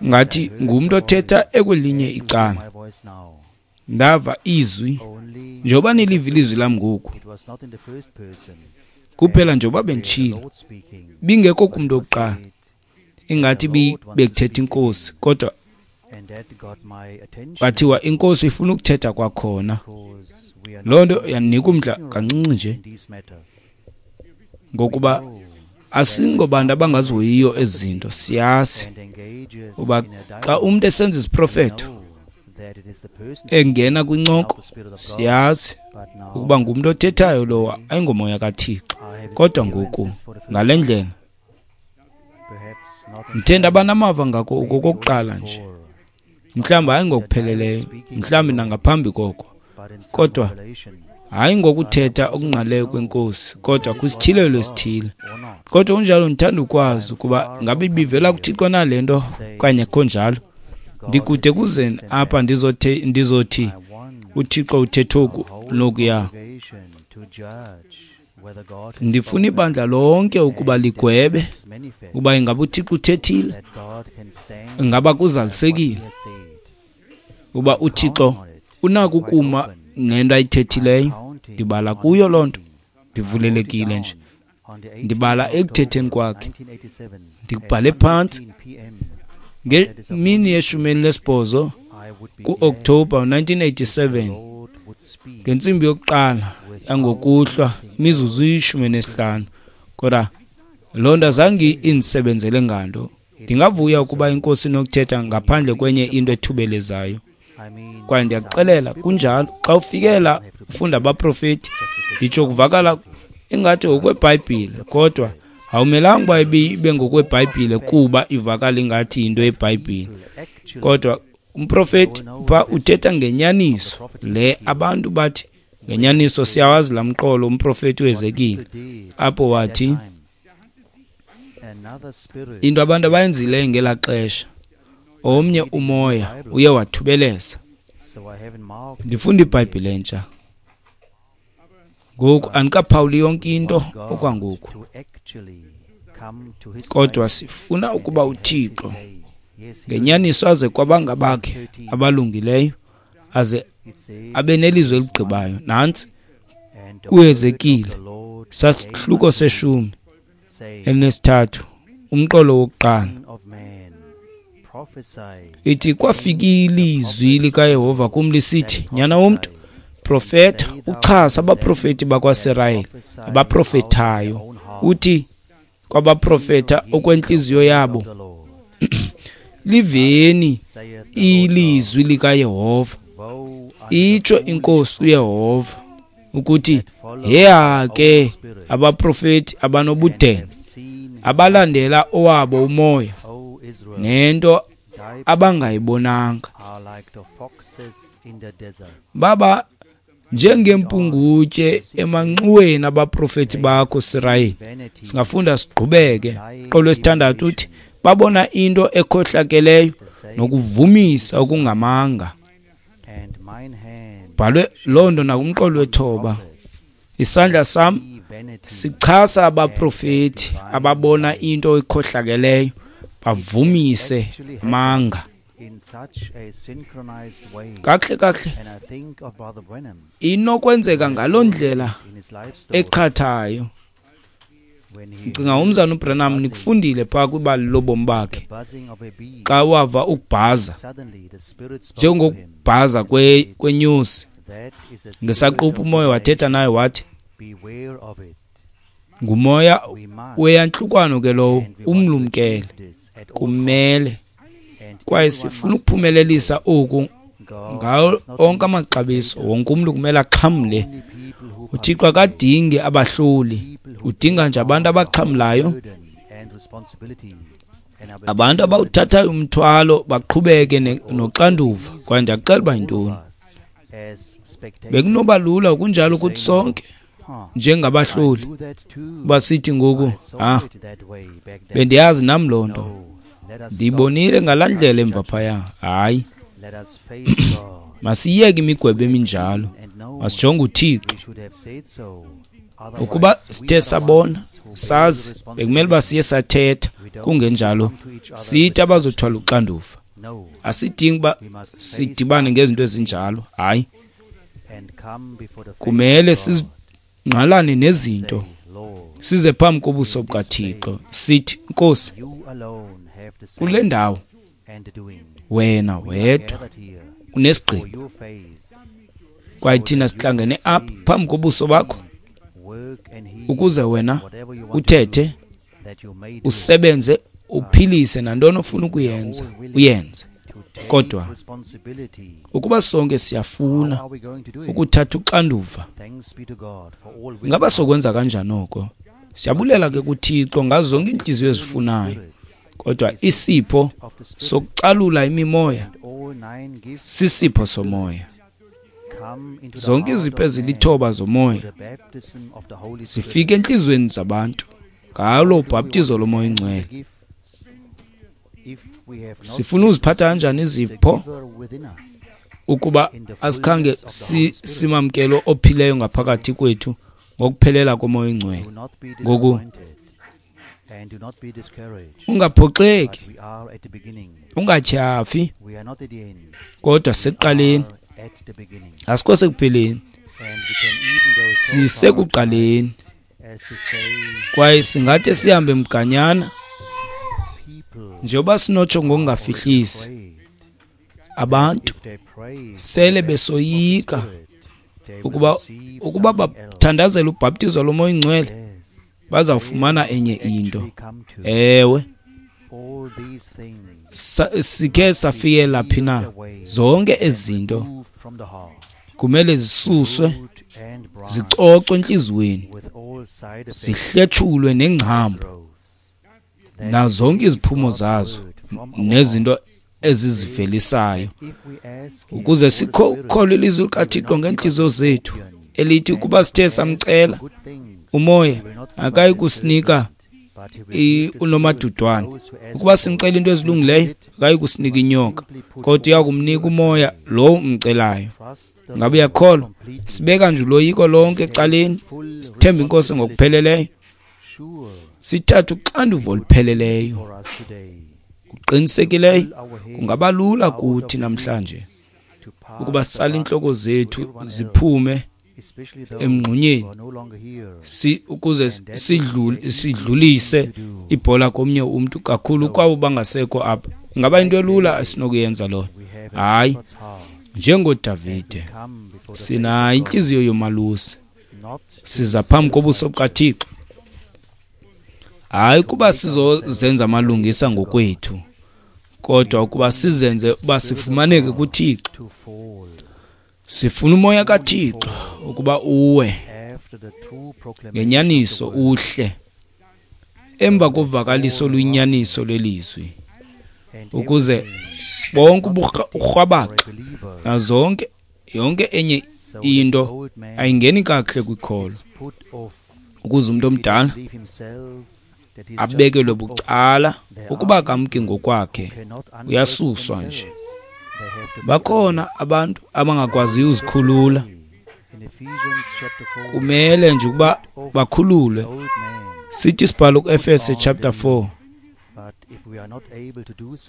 ngathi ngumntu othetha ekwelinye icala. Ndava izwi, njengoba niliva ilizwi lam ngoku, kuphela njengoba benditshilo, bingekho kumntu wokuqala, ingathi bekuthetha iNkosi, kodwa kwathiwa iNkosi ifuna ukuthetha kwakhona. Loo nto yandinika umdla kancinci nje, ngokuba asingobantu abangazihoyiyo ezi zinto. Siyazi uba xa umntu esenza isiprofeto engena kwincoko, siyazi ukuba ngumntu othethayo lowo, ayingomoya kaThixo. Kodwa ngoku ngale ndlela ndithe ndabanamava ngako okokuqala nje, mhlawumbi hayi ngokupheleleyo, mhlawumbi nangaphambi koko, kodwa hayi ngokuthetha okungqaleyo kweNkosi, kodwa kwisityhilelo esithile. Kodwa kunjalo ndithanda ukwazi ukuba ngabe ibivela kuThixo na le nto okanye akho njalo. Ndikude kuzeni apha ndizothi uThixo uthethe oku nokuya. Ndifuna ibandla lonke ukuba ligwebe ukuba ingaba uThixo uthethile, ingaba kuzalisekile, uba uThixo unako ukuma nento ayithethileyo, ndibala kuyo loo nto. Ndivulelekile nje, ndibala ekuthetheni kwakhe. Ndikubhale phantsi ngemini ye-18 ku-Okthobha 1987 ngentsimbi yokuqala yangokuhlwa imizuzu 15. Kodwa loo nto azange indisebenzele nganto. Ndingavuya ukuba inkosi inokuthetha ngaphandle kwenye into ethubelezayo. Kwaye ndiyakuxelela kunjalo, xa ufikela ufunda abaprofeti, nditsho kuvakala ingathi ngokweBhayibhile, kodwa awumelanga uba ibe ngokweBhayibhile kuba ivakala ingathi yinto yeBhayibhile. Kodwa umprofeti pha uthetha ngenyaniso le abantu bathi ngenyaniso siyawazi laa mqolo umprofeti uHezekile apho wathi into abantu abayenzileyo ngelaa xesha, omnye umoya uye wathubeleza. Ndifunda iBhayibhile entsha ngoku, andikaphawuli yonke into okwangoku, kodwa sifuna ukuba uThixo ngenyaniso aze kwabangabakhe abalungileyo, aze abe nelizwi eligqibayo. Nantsi kuHezekile sahluko se-13 umqolo wokuqala, ithi kwafika ilizwi likaYehova kum lisithi, nyana womntu, profeta uchasa abaprofeti bakwaSirayeli abaprofethayo, uthi kwabaprofeta okwentliziyo yabo, liveni ilizwi likaYehova. Itsho inkosi uYehova ukuthi, heya ke abaprofeti abanobudenge abalandela owabo umoya nento abangayibonanga, baba njengempungutye emanxuweni abaprofeti bakho Sirayeli. Singafunda siqhubeke. Qolo 6 uthi babona into ekhohlakeleyo nokuvumisa okungamanga. Bhalwe loo nto nakumqolo 9. Isandla sam sichasa abaprofeti ababona into ekhohlakeleyo bavumise manga. Kakuhle kakuhle inokwenzeka ngaloo ndlela eqhathayo. Ndicinga umzana uBranham nikufundile phaa kwibali lobomi bakhe, xa wava ukubhaza njengokubhaza kwenyosi, ngesaquphe umoya wathetha naye wathi, ngumoya weyantlukwano ke lowo, umlumkele. Kumele kwaye sifuna ukuphumelelisa oku ngawo onke amaxabiso. Wonke umntu kumele axhamle. uThixo akadingi abahloli, udinga nje abantu abaxhamlayo, abantu abawuthathayo umthwalo baqhubeke noxanduva. Kwaye ndiyakuxela uba yintoni, bekunoba lula kunjalo kuthi sonke njengabahloli uba sithi ngoku, bendiyazi nam loo nto, ndiyibonile ngalaa ndlela emva phaya. Hayi, masiyeke imigwebo eminjalo, masijonge uThixo. Ukuba sithe sabona sazi, bekumele uba siye sathetha, kungenjalo sithi abazothwala uxanduva. Asidingi uba sidibane ngezinto ezinjalo. Hayi, kumele sizingqalane nezinto, size phambi kobuso bukaThixo sithi, Nkosi, kule ndawo wena wedwa unesigqibo, kwaye thina sihlangene apha phambi kobuso bakho ukuze wena uthethe, usebenze, uphilise nantoni ofuna ukuyenza, uyenze. Kodwa ukuba sonke siyafuna ukuthatha uxanduva, ngaba sokwenza kanjani oko? Siyabulela ke kuThixo ngazo zonke iintliziyo ezifunayo, kodwa isipho sokucalula imimoya sisipho somoya. Zonke izipho ezilithoba zomoya zifika entliziyweni zabantu ngalo ubhaptizo lomoya oyingcwele. Sifuna uziphatha kanjani izipho ukuba asikhange simamkelo ophileyo ngaphakathi kwethu ngokuphelela komoya oyingcwele? Ngoku ungaphoxeki, ungatyhafi, kodwa sekuqaleni, Asikho sekupheleni, sisekuqaleni. Kwaye singathi sihambe mganyana njengoba sinotsho ngokungafihlisi, abantu sele besoyika ukuba bathandazela ubhaptizo loMoya oyiNgcwele bazawufumana enye into. Ewe, sikhe safikela phi na? Zonke ezi zinto kumele zisuswe, zicocwe entliziyweni, zihletshulwe nengcambu nazonke iziphumo zazo nezinto ezizivelisayo, ukuze sikholwe ilizwi likaThixo ngeentliziyo zethu elithi ukuba sithe samcela uMoya akayi kusinika unomadudwane. Ukuba simcela into ezilungileyo akayi kusinika inyoka, kodwa uya kumnika uMoya lo umcelayo. Ngabe uyakholwa? Sibeka nje uloyiko lonke ecaleni, sithembe iNkosi ngokupheleleyo, sithathe uxanduva olupheleleyo. Kuqinisekileyo kungaba lula kuthi namhlanje ukuba sitsale intloko zethu ziphume emngxunyeni ukuze sidlulise ibhola komnye umntu, kakhulu kwabo bangasekho apha. Ingaba into elula esinokuyenza loyo? Hayi, njengoDavide sinayo intliziyo yomalusi, siza phambi kobuso bukaThixo, hayi kuba sizozenza amalungisa ngokwethu, kodwa ukuba sizenze uba sifumaneke kuThixo. Sifuna uMoya kaThixo ukuba uwe ngenyaniso uhle emva kovakaliso oluyinyaniso lwelizwi, ukuze bonke uburhwabaxa nazonke yonke enye into ayingeni kakuhle kwikholo, ukuze umuntu omdala abekelwe bucala ukuba kamki ngokwakhe, uyasuswa nje. Bakhona abantu abangakwaziyo uzikhulula, kumele nje ukuba bakhululwe. Sithi isibhalo kuEfese chapter 4,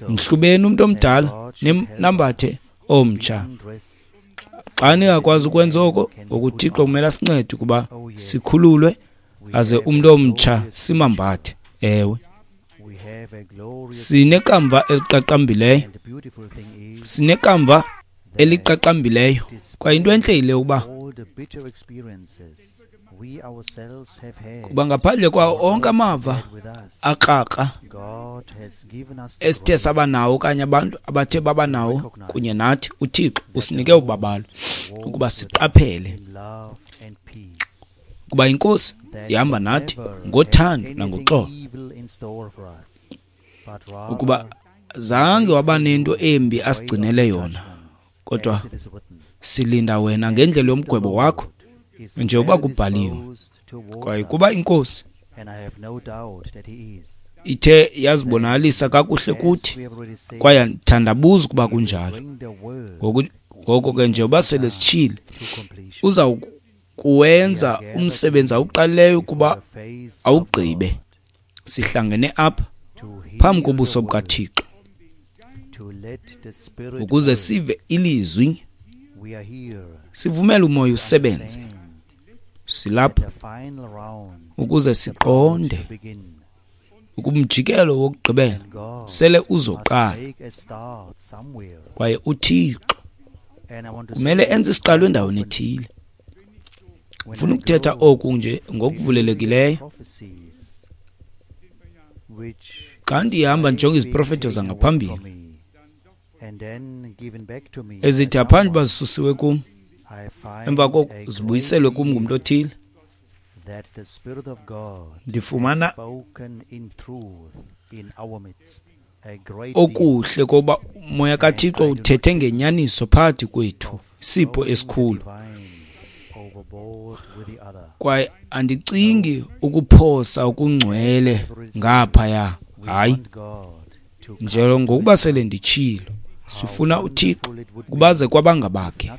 mhlubeni umuntu omdala nambathe omtsha. Xa ningakwazi ukwenza oko, ngokuThixo kumele asincede ukuba sikhululwe aze umuntu omtsha simambathe. Ewe, sinekamva eliqaqambileyo, sinekamva eliqaqambileyo. Kwaye into entle yile ukuba kuba ngaphandle kwawo onke amava akrakra esithe saba nawo okanye abantu abathe baba nawo kunye nathi, uThixo usinike ubabalo ukuba siqaphele kuba iNkosi ihamba nathi ngothando nangoxolo, ukuba zange waba nento embi asigcinele yona, kodwa silinda wena ngendlela yomgwebo wakho njengoba kubhaliwe. Kwaye kuba iNkosi ithe yazibonakalisa kakuhle kuthi, kwaye andithandabuzi ukuba kunjalo. Ngoko ke njengoba sele sitshile, uza kuwenza umsebenzi awuqalileyo ukuba awugqibe. Sihlangene apha phambi kobuso bukaThixo ukuze sive ilizwi, sivumele uMoya usebenze. Silapha ukuze siqonde ukumjikelo wokugqibela sele uzoqala, kwaye uThixo kumele enze isiqalo endaweni ethile. Ufuna ukuthetha oku nje ngokuvulelekileyo. Xa ndihamba ndijonge iziprofeto zangaphambili ezithi aphandle uba zisusiwe kum, emva koko zibuyiselwe kum ngumntu othile, ndifumana okuhle koba uMoya kaThixo uthethe ngenyaniso phakathi kwethu, isipho esikhulu. Kwaye andicingi ukuphosa okungcwele ngaphaya, hayi, njengokuba sele nditshilo, sifuna uThixo kubaze kwabangabakhe.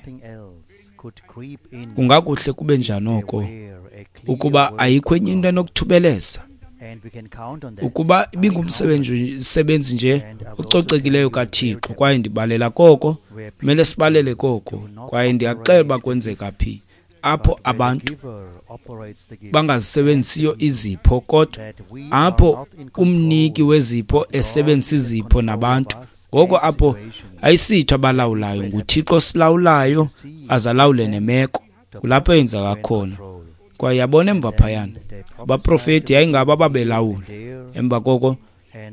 Kungakuhle kube njani oko ukuba ayikho enye into enokuthubeleza Ukuba ibingumsebenzi nje ococekileyo kaThixo, kwaye ndibalela koko, kumele sibalele koko, kwaye ndiyaxela uba kwenzeka phi apho abantu bangazisebenzisiyo izipho, kodwa apho umniki wezipho esebenzisa izipho nabantu. Ngoko apho ayisitho abalawulayo, nguThixo osilawulayo azalawule nemeko. Kulapho eyenzeka khona. Kwaye yabona emva phayana, abaprofeti yayingabo ababelawula. Emva koko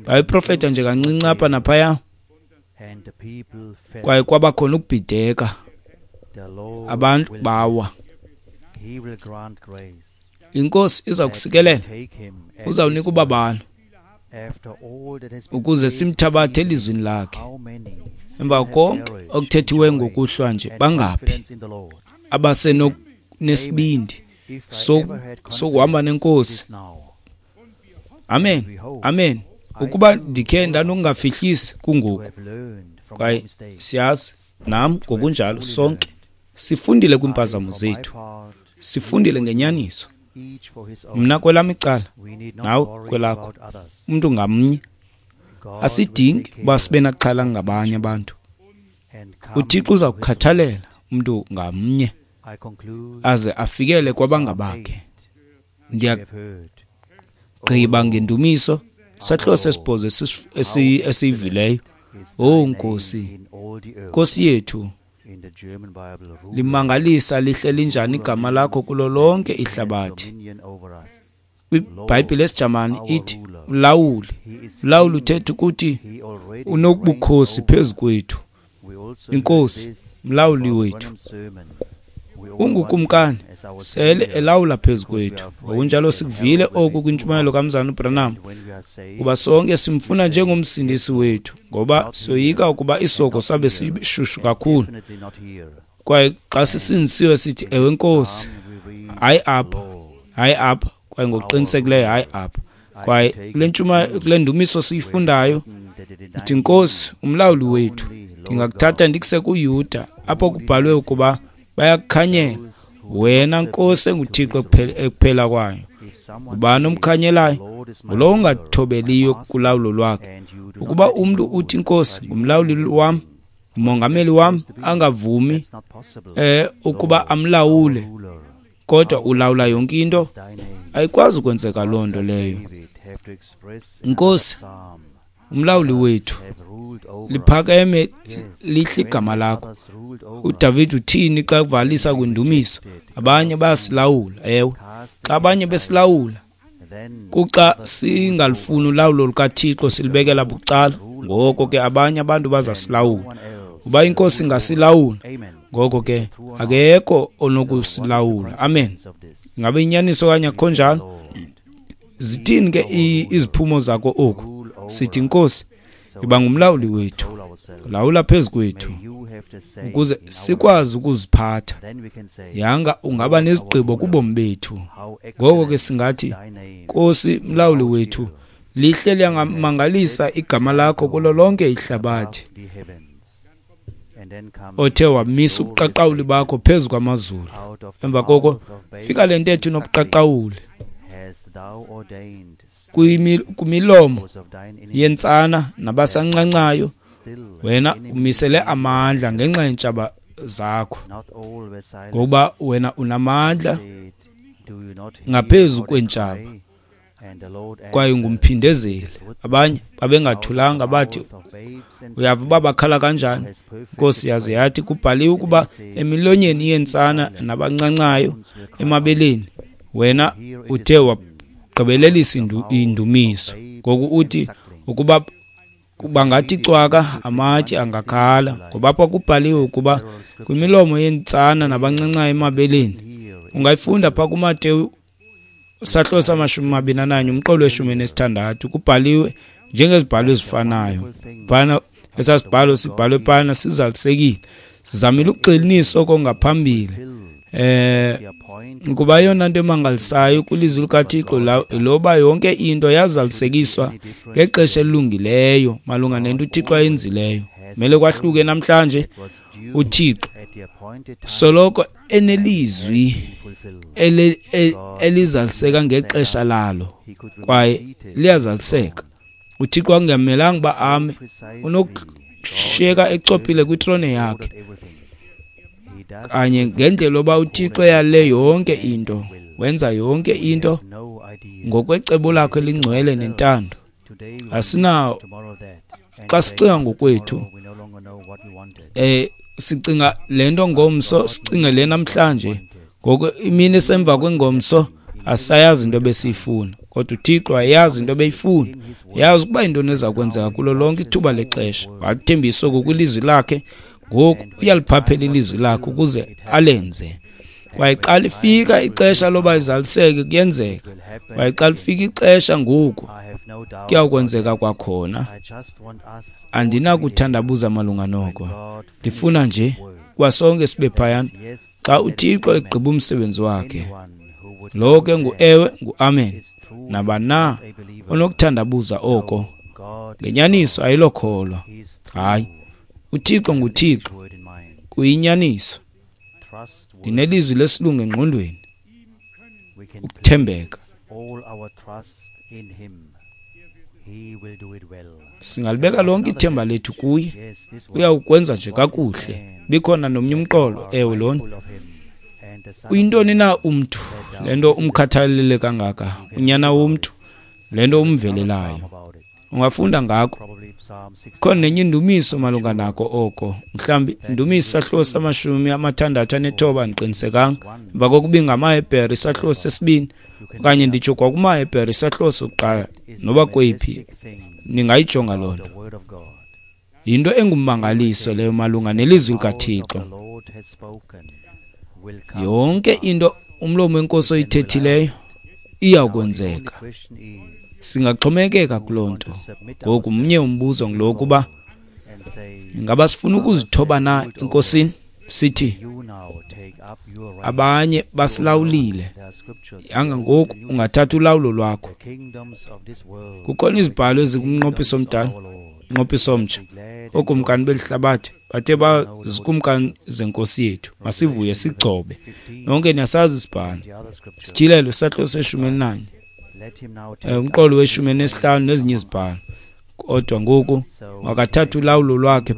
babeprofeta nje kancinci apha naphaya, kwaye kwabakhona ukubhideka, abantu bawa. INkosi iza kusikelela, uzawunika ubabalo ukuze simthabathe elizwini lakhe. Emva konke okuthethiwe ngokuhlwa nje, bangaphi abasenesibindi sokuhamba nenkosi? Amen, amen. Ukuba ndikhe ndanokungafihlisi kungoku, kwaye siyazi nam ngokunjalo sonke sifundile kwiimpazamo zethu, sifundile ngenyaniso. Mna kwelam icala, nawe kwelakho, umntu ngamnye. Asidingi uba sibe naxhala ngabanye abantu. UThixo uza kukhathalela umntu ngamnye aze afikele kwabangabakhe. Ndiyagqiba ngendumiso sahluko sesibhozo esiyivileyo. Oh Nkosi, Nkosi yethu, limangalisa lihle linjani igama lakho kulo lonke ihlabathi. KwiBhayibhile esiJamani ithi mlawuli. Mlawuli uthetha ukuthi unobukhosi phezu kwethu. Inkosi, mlawuli wethu, ungukumkani, sele elawula phezu kwethu. Ngokunjalo sikuvile oku kwintshumayelo kaMzana uBranham, kuba sonke simfuna njengomsindisi wethu, ngoba soyika ukuba isoko sabe sishushu kakhulu. Kwaye xa sisindisiwe sithi, ewe Nkosi, hayi apha, hayi apha, kwaye ngokuqinisekileyo hayi apha. Kwaye kule ndumiso siyifundayo ithi, Nkosi, umlawuli wethu, ndingakuthatha ndikuse kuYuda, apho kubhalwe ukuba bayakukhanyela wena Nkosi enguThixo ekuphela kwayo. Ubani omkhanyelayo? Ngulowo ungathobeliyo kulawulo lwakhe. Ukuba umntu uthi, Nkosi, ngumlawuli wam, umongameli wam, angavumi ukuba amlawule, kodwa ulawula yonke into, ayikwazi ukwenzeka loo nto leyo. Nkosi, umlawuli wethu, liphakeme lihle igama lakho. uDavid uthini xa kuvalisa kwindumiso? Abanye bayasilawula, ewe. Xa abanye besilawula, kuxa singalifuni ulawulo lukaThixo silibekela bucala, ngoko ke abanye abantu bazasilawula. Uba iNkosi ingasilawula, ngoko ke akekho onokusilawula. Amen. Ingabe inyaniso okanye akukho njalo? Zithini ke iziphumo zako oku? Sithi, Nkosi, iba ngumlawuli wethu, lawula phezu kwethu ukuze sikwazi ukuziphatha. Yanga ungaba nezigqibo kubomi bethu. Ngoko ke singathi, Nkosi, mlawuli wethu, lihle liyangamangalisa igama lakho kulo lonke ihlabathi, othe wamisa ubuqaqawuli bakho phezu kwamazulu. Emva koko fika le ntetho inobuqaqawuli kwimilomo yentsana nabasancancayo, wena umisele amandla ngenxa yeentshaba zakho, ngokuba wena unamandla ngaphezu kweentshaba, kwaye ungumphindezeli. Abanye babengathulanga bathi, uyava uba bakhala kanjani? Nkosi yaze yathi, kubhaliwe ukuba emilonyeni yentsana nabancancayo emabeleni, wena uthe wagqibelelisa indumiso. Ngoku uthi ukuba bangathi cwaka, amatye angakhala, ngoba apha kubhaliwe ukuba kwimilomo yentsana nabancancayo emabeleni. Ungayifunda pha kuMateyu sahluko sama-21 umqolo we-16, kubhaliwe njengezibhalo ezifanayo. Phana esasibhalo sibhalwe phana sizalisekile. Sizamile ukugxininisa oko ngaphambili. Kuba eyona nto emangalisayo kwilizwi likaThixo loba yonke into yazalisekiswa ngexesha elilungileyo malunga nento uThixo ayenzileyo. Mele kwahluke namhlanje. uThixo soloko enelizwi elizaliseka ngexesha lalo, kwaye liyazaliseka. UThixo angamelanga uba ame, unokushiyeka echophile kwitrone yakhe. Kanye ngendlela yoba uThixo eyale yonke into, wenza yonke into ngokwecebo lakhe elingcwele nentando. Asinawo xa sicinga ngokwethu, sicinga le nto ngomso, sicinge le namhlanje. Ngoku imini esemva kwengomso asayazi into ebesiyifuna, kodwa uThixo ayazi into ebeyifuna, yazi ukuba yintoni eza kwenzeka kulo lonke ithuba lexesha. Wathembisa oku kwilizwi lakhe, ngoku uyaliphaphela ilizwi lakhe ukuze alenze. Kwaye xa lifika ixesha loba izaliseke, kuyenzeka. Kwaye xa lifika ixesha ngoku, kuyawukwenzeka kwakhona. Andinakuthandabuza malunga noko. Ndifuna nje kuba sonke sibe phayana xa uThixo egqiba umsebenzi wakhe. Lo ke ngu-ewe, ngu-amen. Nabani na onokuthandabuza oko, ngenyaniso ayilokholwa. Hayi, uThixo nguThixo, kuyinyaniso. Ndinelizwi lesilungu engqondweni, ukuthembeka. Singalibeka lonke ithemba lethu kuye, uyawukwenza nje kakuhle. Bikhona nomnye umqolo, ewe lona. Uyintoni na umntu, le nto umkhathalele kangaka, unyana womntu, le nto umvelelayo? Ungafunda ngako. Khona nenye indumiso malunga nako oko. Mhlawumbi indumiso isahluko sama-69, andiqinisekanga. Emva kokuba ngamaHebhere isahluko sesibini, okanye nditsho kwakumaHebhere isahluko sokuqala, noba kweyiphi, ningayijonga loo nto. Yinto engummangaliso leyo malunga nelizwi likaThixo. Yonke into umlomo wenkosi oyithethileyo iyakwenzeka. Singaxhomekeka kuloo nto. Ngoku mnye umbuzo ngulo kuba ingaba sifuna ukuzithoba na enkosini, sithi abanye basilawulile, yanga ngoku ungathatha ulawulo lwakho. Kukhona izibhalo ezikumnqophiso omdala, umnqophiso omtsha. Ookumkani belihlabathi bathe bazikumkani zenkosi yethu, masivuye sigcobe. Nonke niyasazi isibhalo. Sityhilelo isahluko se-11, umqolo we-15 nezinye izibhalo. Kodwa ngoku makathathe ulawulo lwakhe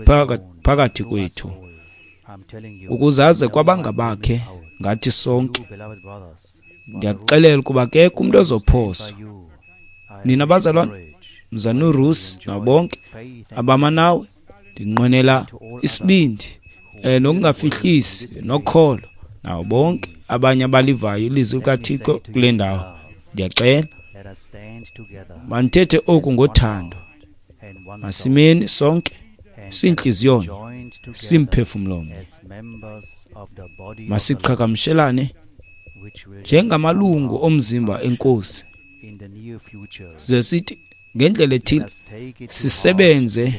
phakathi kwethu, ukuze aze kwabangabakhe ngathi sonke. Ndiyakuxelela ukuba akekho umntu ozophoswa. Nina bazalwane, mzana uRusi nabo bonke abama nawe, ndinqwenela isibindi nokungafihlisi nokholo nabo bonke abanye abalivayo ilizwi likaThixo kule ndawo. Ndiyacela mandithethe oku ngothando. Masimeni sonke sintliziyonye, simphefumlomnye. Masiqhagamshelane njengamalungu omzimba enkosi, ze sithi ngendlela ethile sisebenze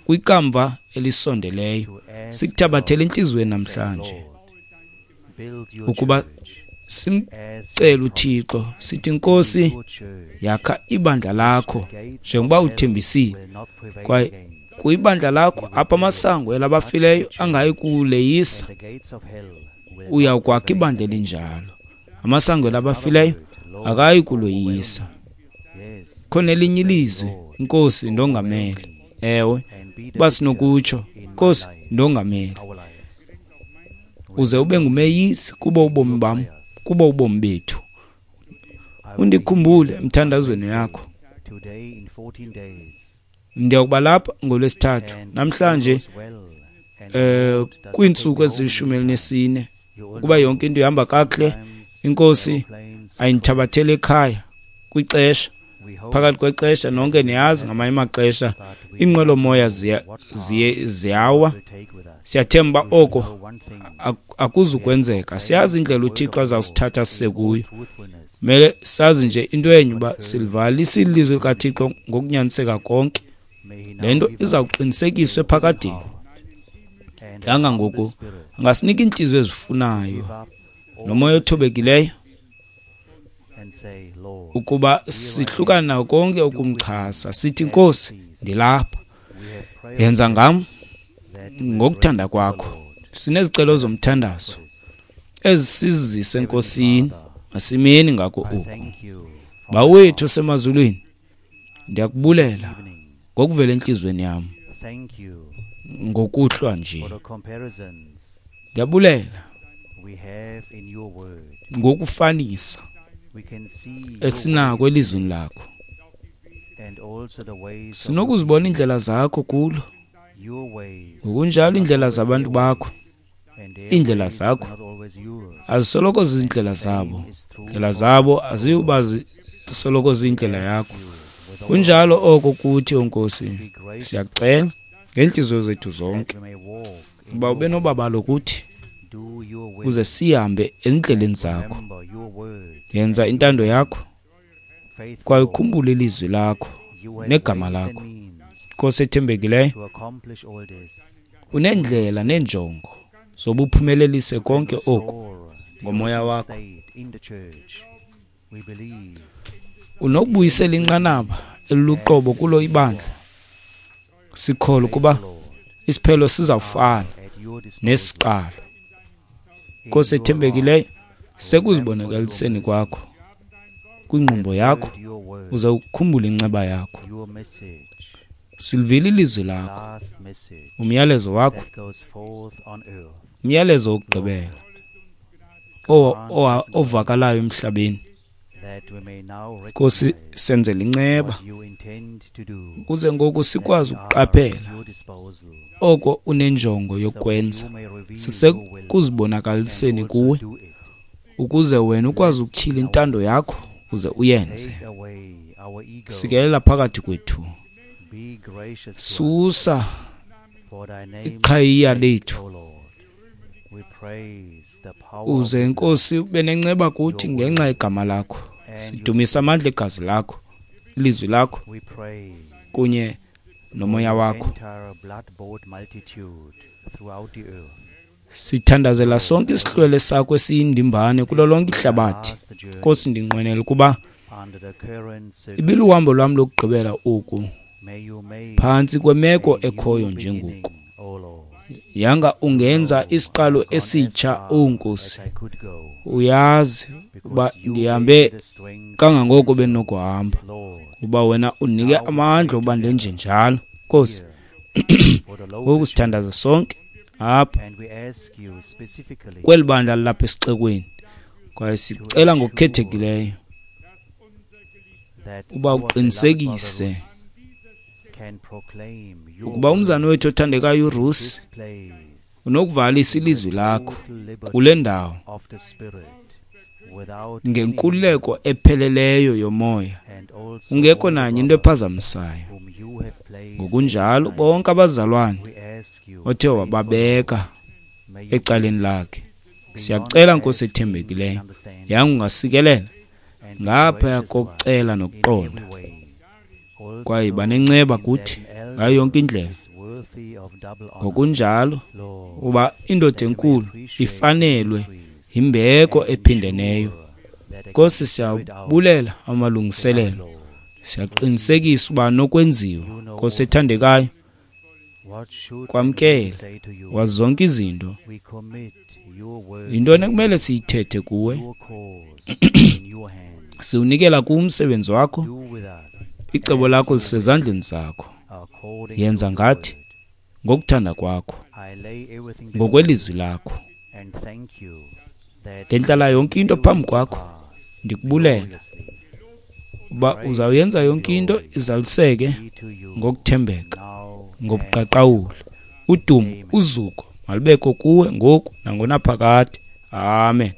kwikamva elisondeleyo, sikuthabathele entliziyweni namhlanje ukuba simcele uThixo sithi, Nkosi, yakha ibandla lakho njengoba uthembisile, kwaye kwibandla lakho apha amasango elabafileyo angayi kuleyisa, uyawukwakha ibandla elinjalo. Amasango elabafileyo akayi kuloyisa. Khona elinye ilizwi, Nkosi, ndongamele. Ewe, uba sinokutsho, Nkosi, ndongamele, uze ube ngumeyisi kubo ubomi bam, kubo ubomi bethu. Undikhumbule emthandazweni yakho. Ndiyakuba lapha ngolwesithathu namhlanje, kwiintsuku ezili-14, ukuba yonke into ihamba kakuhle, inkosi ayindithabathele ekhaya kwixesha, phakathi kwexesha. Nonke niyazi ngamanye amaxesha iinqwelomoya ziyawa. Siyathemba oko akuzukwenzeka. Siyazi indlela uThixo azawusithatha sise kuyo. Mele sazi nje into enye, uba silivalisa ilizwi likaThixo ngokunyaniseka konke. Le nto izawuqinisekiswa ephakadeni. Yanga ngoku angasinika iintliziyo ezifunayo nomoya othobekileyo ukuba sihlukane nako konke ukumchasa, sithi, Nkosi, ndilapha, yenza ngam ngokuthanda kwakho. Sinezicelo zomthandazo Ezisizise eNkosini, masimeni ngako oku. Bawethu osemazulwini, ndiyakubulela ngokuvela entliziyweni yam ngokuhlwa nje. Ndiyabulela ngokufanisa esinako elizwini lakho. Sinokuzibona iindlela zakho kulo, ngokunjalo iindlela zabantu bakho. Iindlela zakho azisoloko zizindlela zabo, indlela zabo aziyuba zisoloko ziyindlela yakho. Kunjalo oko kuthi, oNkosi, siyakucela ngeentliziyo zethu zonke uba ube nobabalo kuthi, uze sihambe ezindleleni zakho. Yenza intando yakho kwaye ukhumbule ilizwi lakho negama lakho. Nkosi ethembekileyo, uneendlela neenjongo zobuphumelelise konke oku ngomoya wakho. Unokubuyisela inqanaba eliluqobo kulo ibandla. Sikholwa ukuba isiphelo sizawufana nesiqalo. Nkosi ethembekileyo, sekuzibonakaliseni kwakho kwingqumbo yakho, uze ukhumbule inceba yakho. Silivile ilizwi lakho, umyalezo wakho, umyalezo wokugqibela ovakalayo emhlabeni. Nkosi, senzele inceba ukuze ngoku sikwazi ukuqaphela oko unenjongo yokwenza, sisekuzibonakaliseni kuwe, ukuze wena ukwazi ukutyhila intando yakho uze uyenze. Sikelela phakathi kwethu, susa iqhayiya lethu, uze Nkosi ube nenceba kuthi ngenxa yegama lakho. Sidumisa amandla egazi lakho, ilizwi lakho kunye nomoya wakho. Sithandazela sonke isihlwele sakho esiyindimbane kulo lonke ihlabathi. Nkosi, ndinqwenela ukuba ibiluhambo lwam lokugqibela oku phantsi kwemeko ekhoyo njengoku. Yanga ungenza isiqalo esitsha, o Nkosi. Uyazi uba ndihambe kangangoko bendinokuhamba, kuba wena undinike amandla uba ndenje njalo. Nkosi, ngoku sithandaza sonke apha kweli bandla lilapha esixekweni, kwaye sicela ngokukhethekileyo uba uqinisekise ukuba umzana wethu othandekayo uRusi unokuvalisa ilizwi lakho kule ndawo ngenkululeko epheleleyo yomoya, ungekho nanye into ephazamisayo. Ngokunjalo bonke abazalwane othe wababeka ecaleni lakhe, siyacela Nkosi ethembekileyo, yanga ungasikelela ngaphaya kokucela nokuqonda, kwaye banenceba kuthi ngayo yonke indlela. Ngokunjalo uba indoda enkulu ifanelwe yimbeko ephindeneyo. Nkosi, siyabulela amalungiselelo, siyaqinisekisa uba nokwenziwa. Nkosi ethandekayo, kwamkele wazi zonke izinto. Yintoni ekumele siyithethe kuwe? Siwunikela kuwe umsebenzi wakho, icebo lakho lisezandleni zakho. Yenza ngathi ngokuthanda kwakho, ngokwelizwi lakho. Ndentlala yonke into phambi kwakho, ndikubulela uba uzawuyenza yonke into izaliseke ngokuthembeka, ngobuqaqawuli. Udumo, uzuko malubekho kuwe ngoku nangonaphakade. Amen.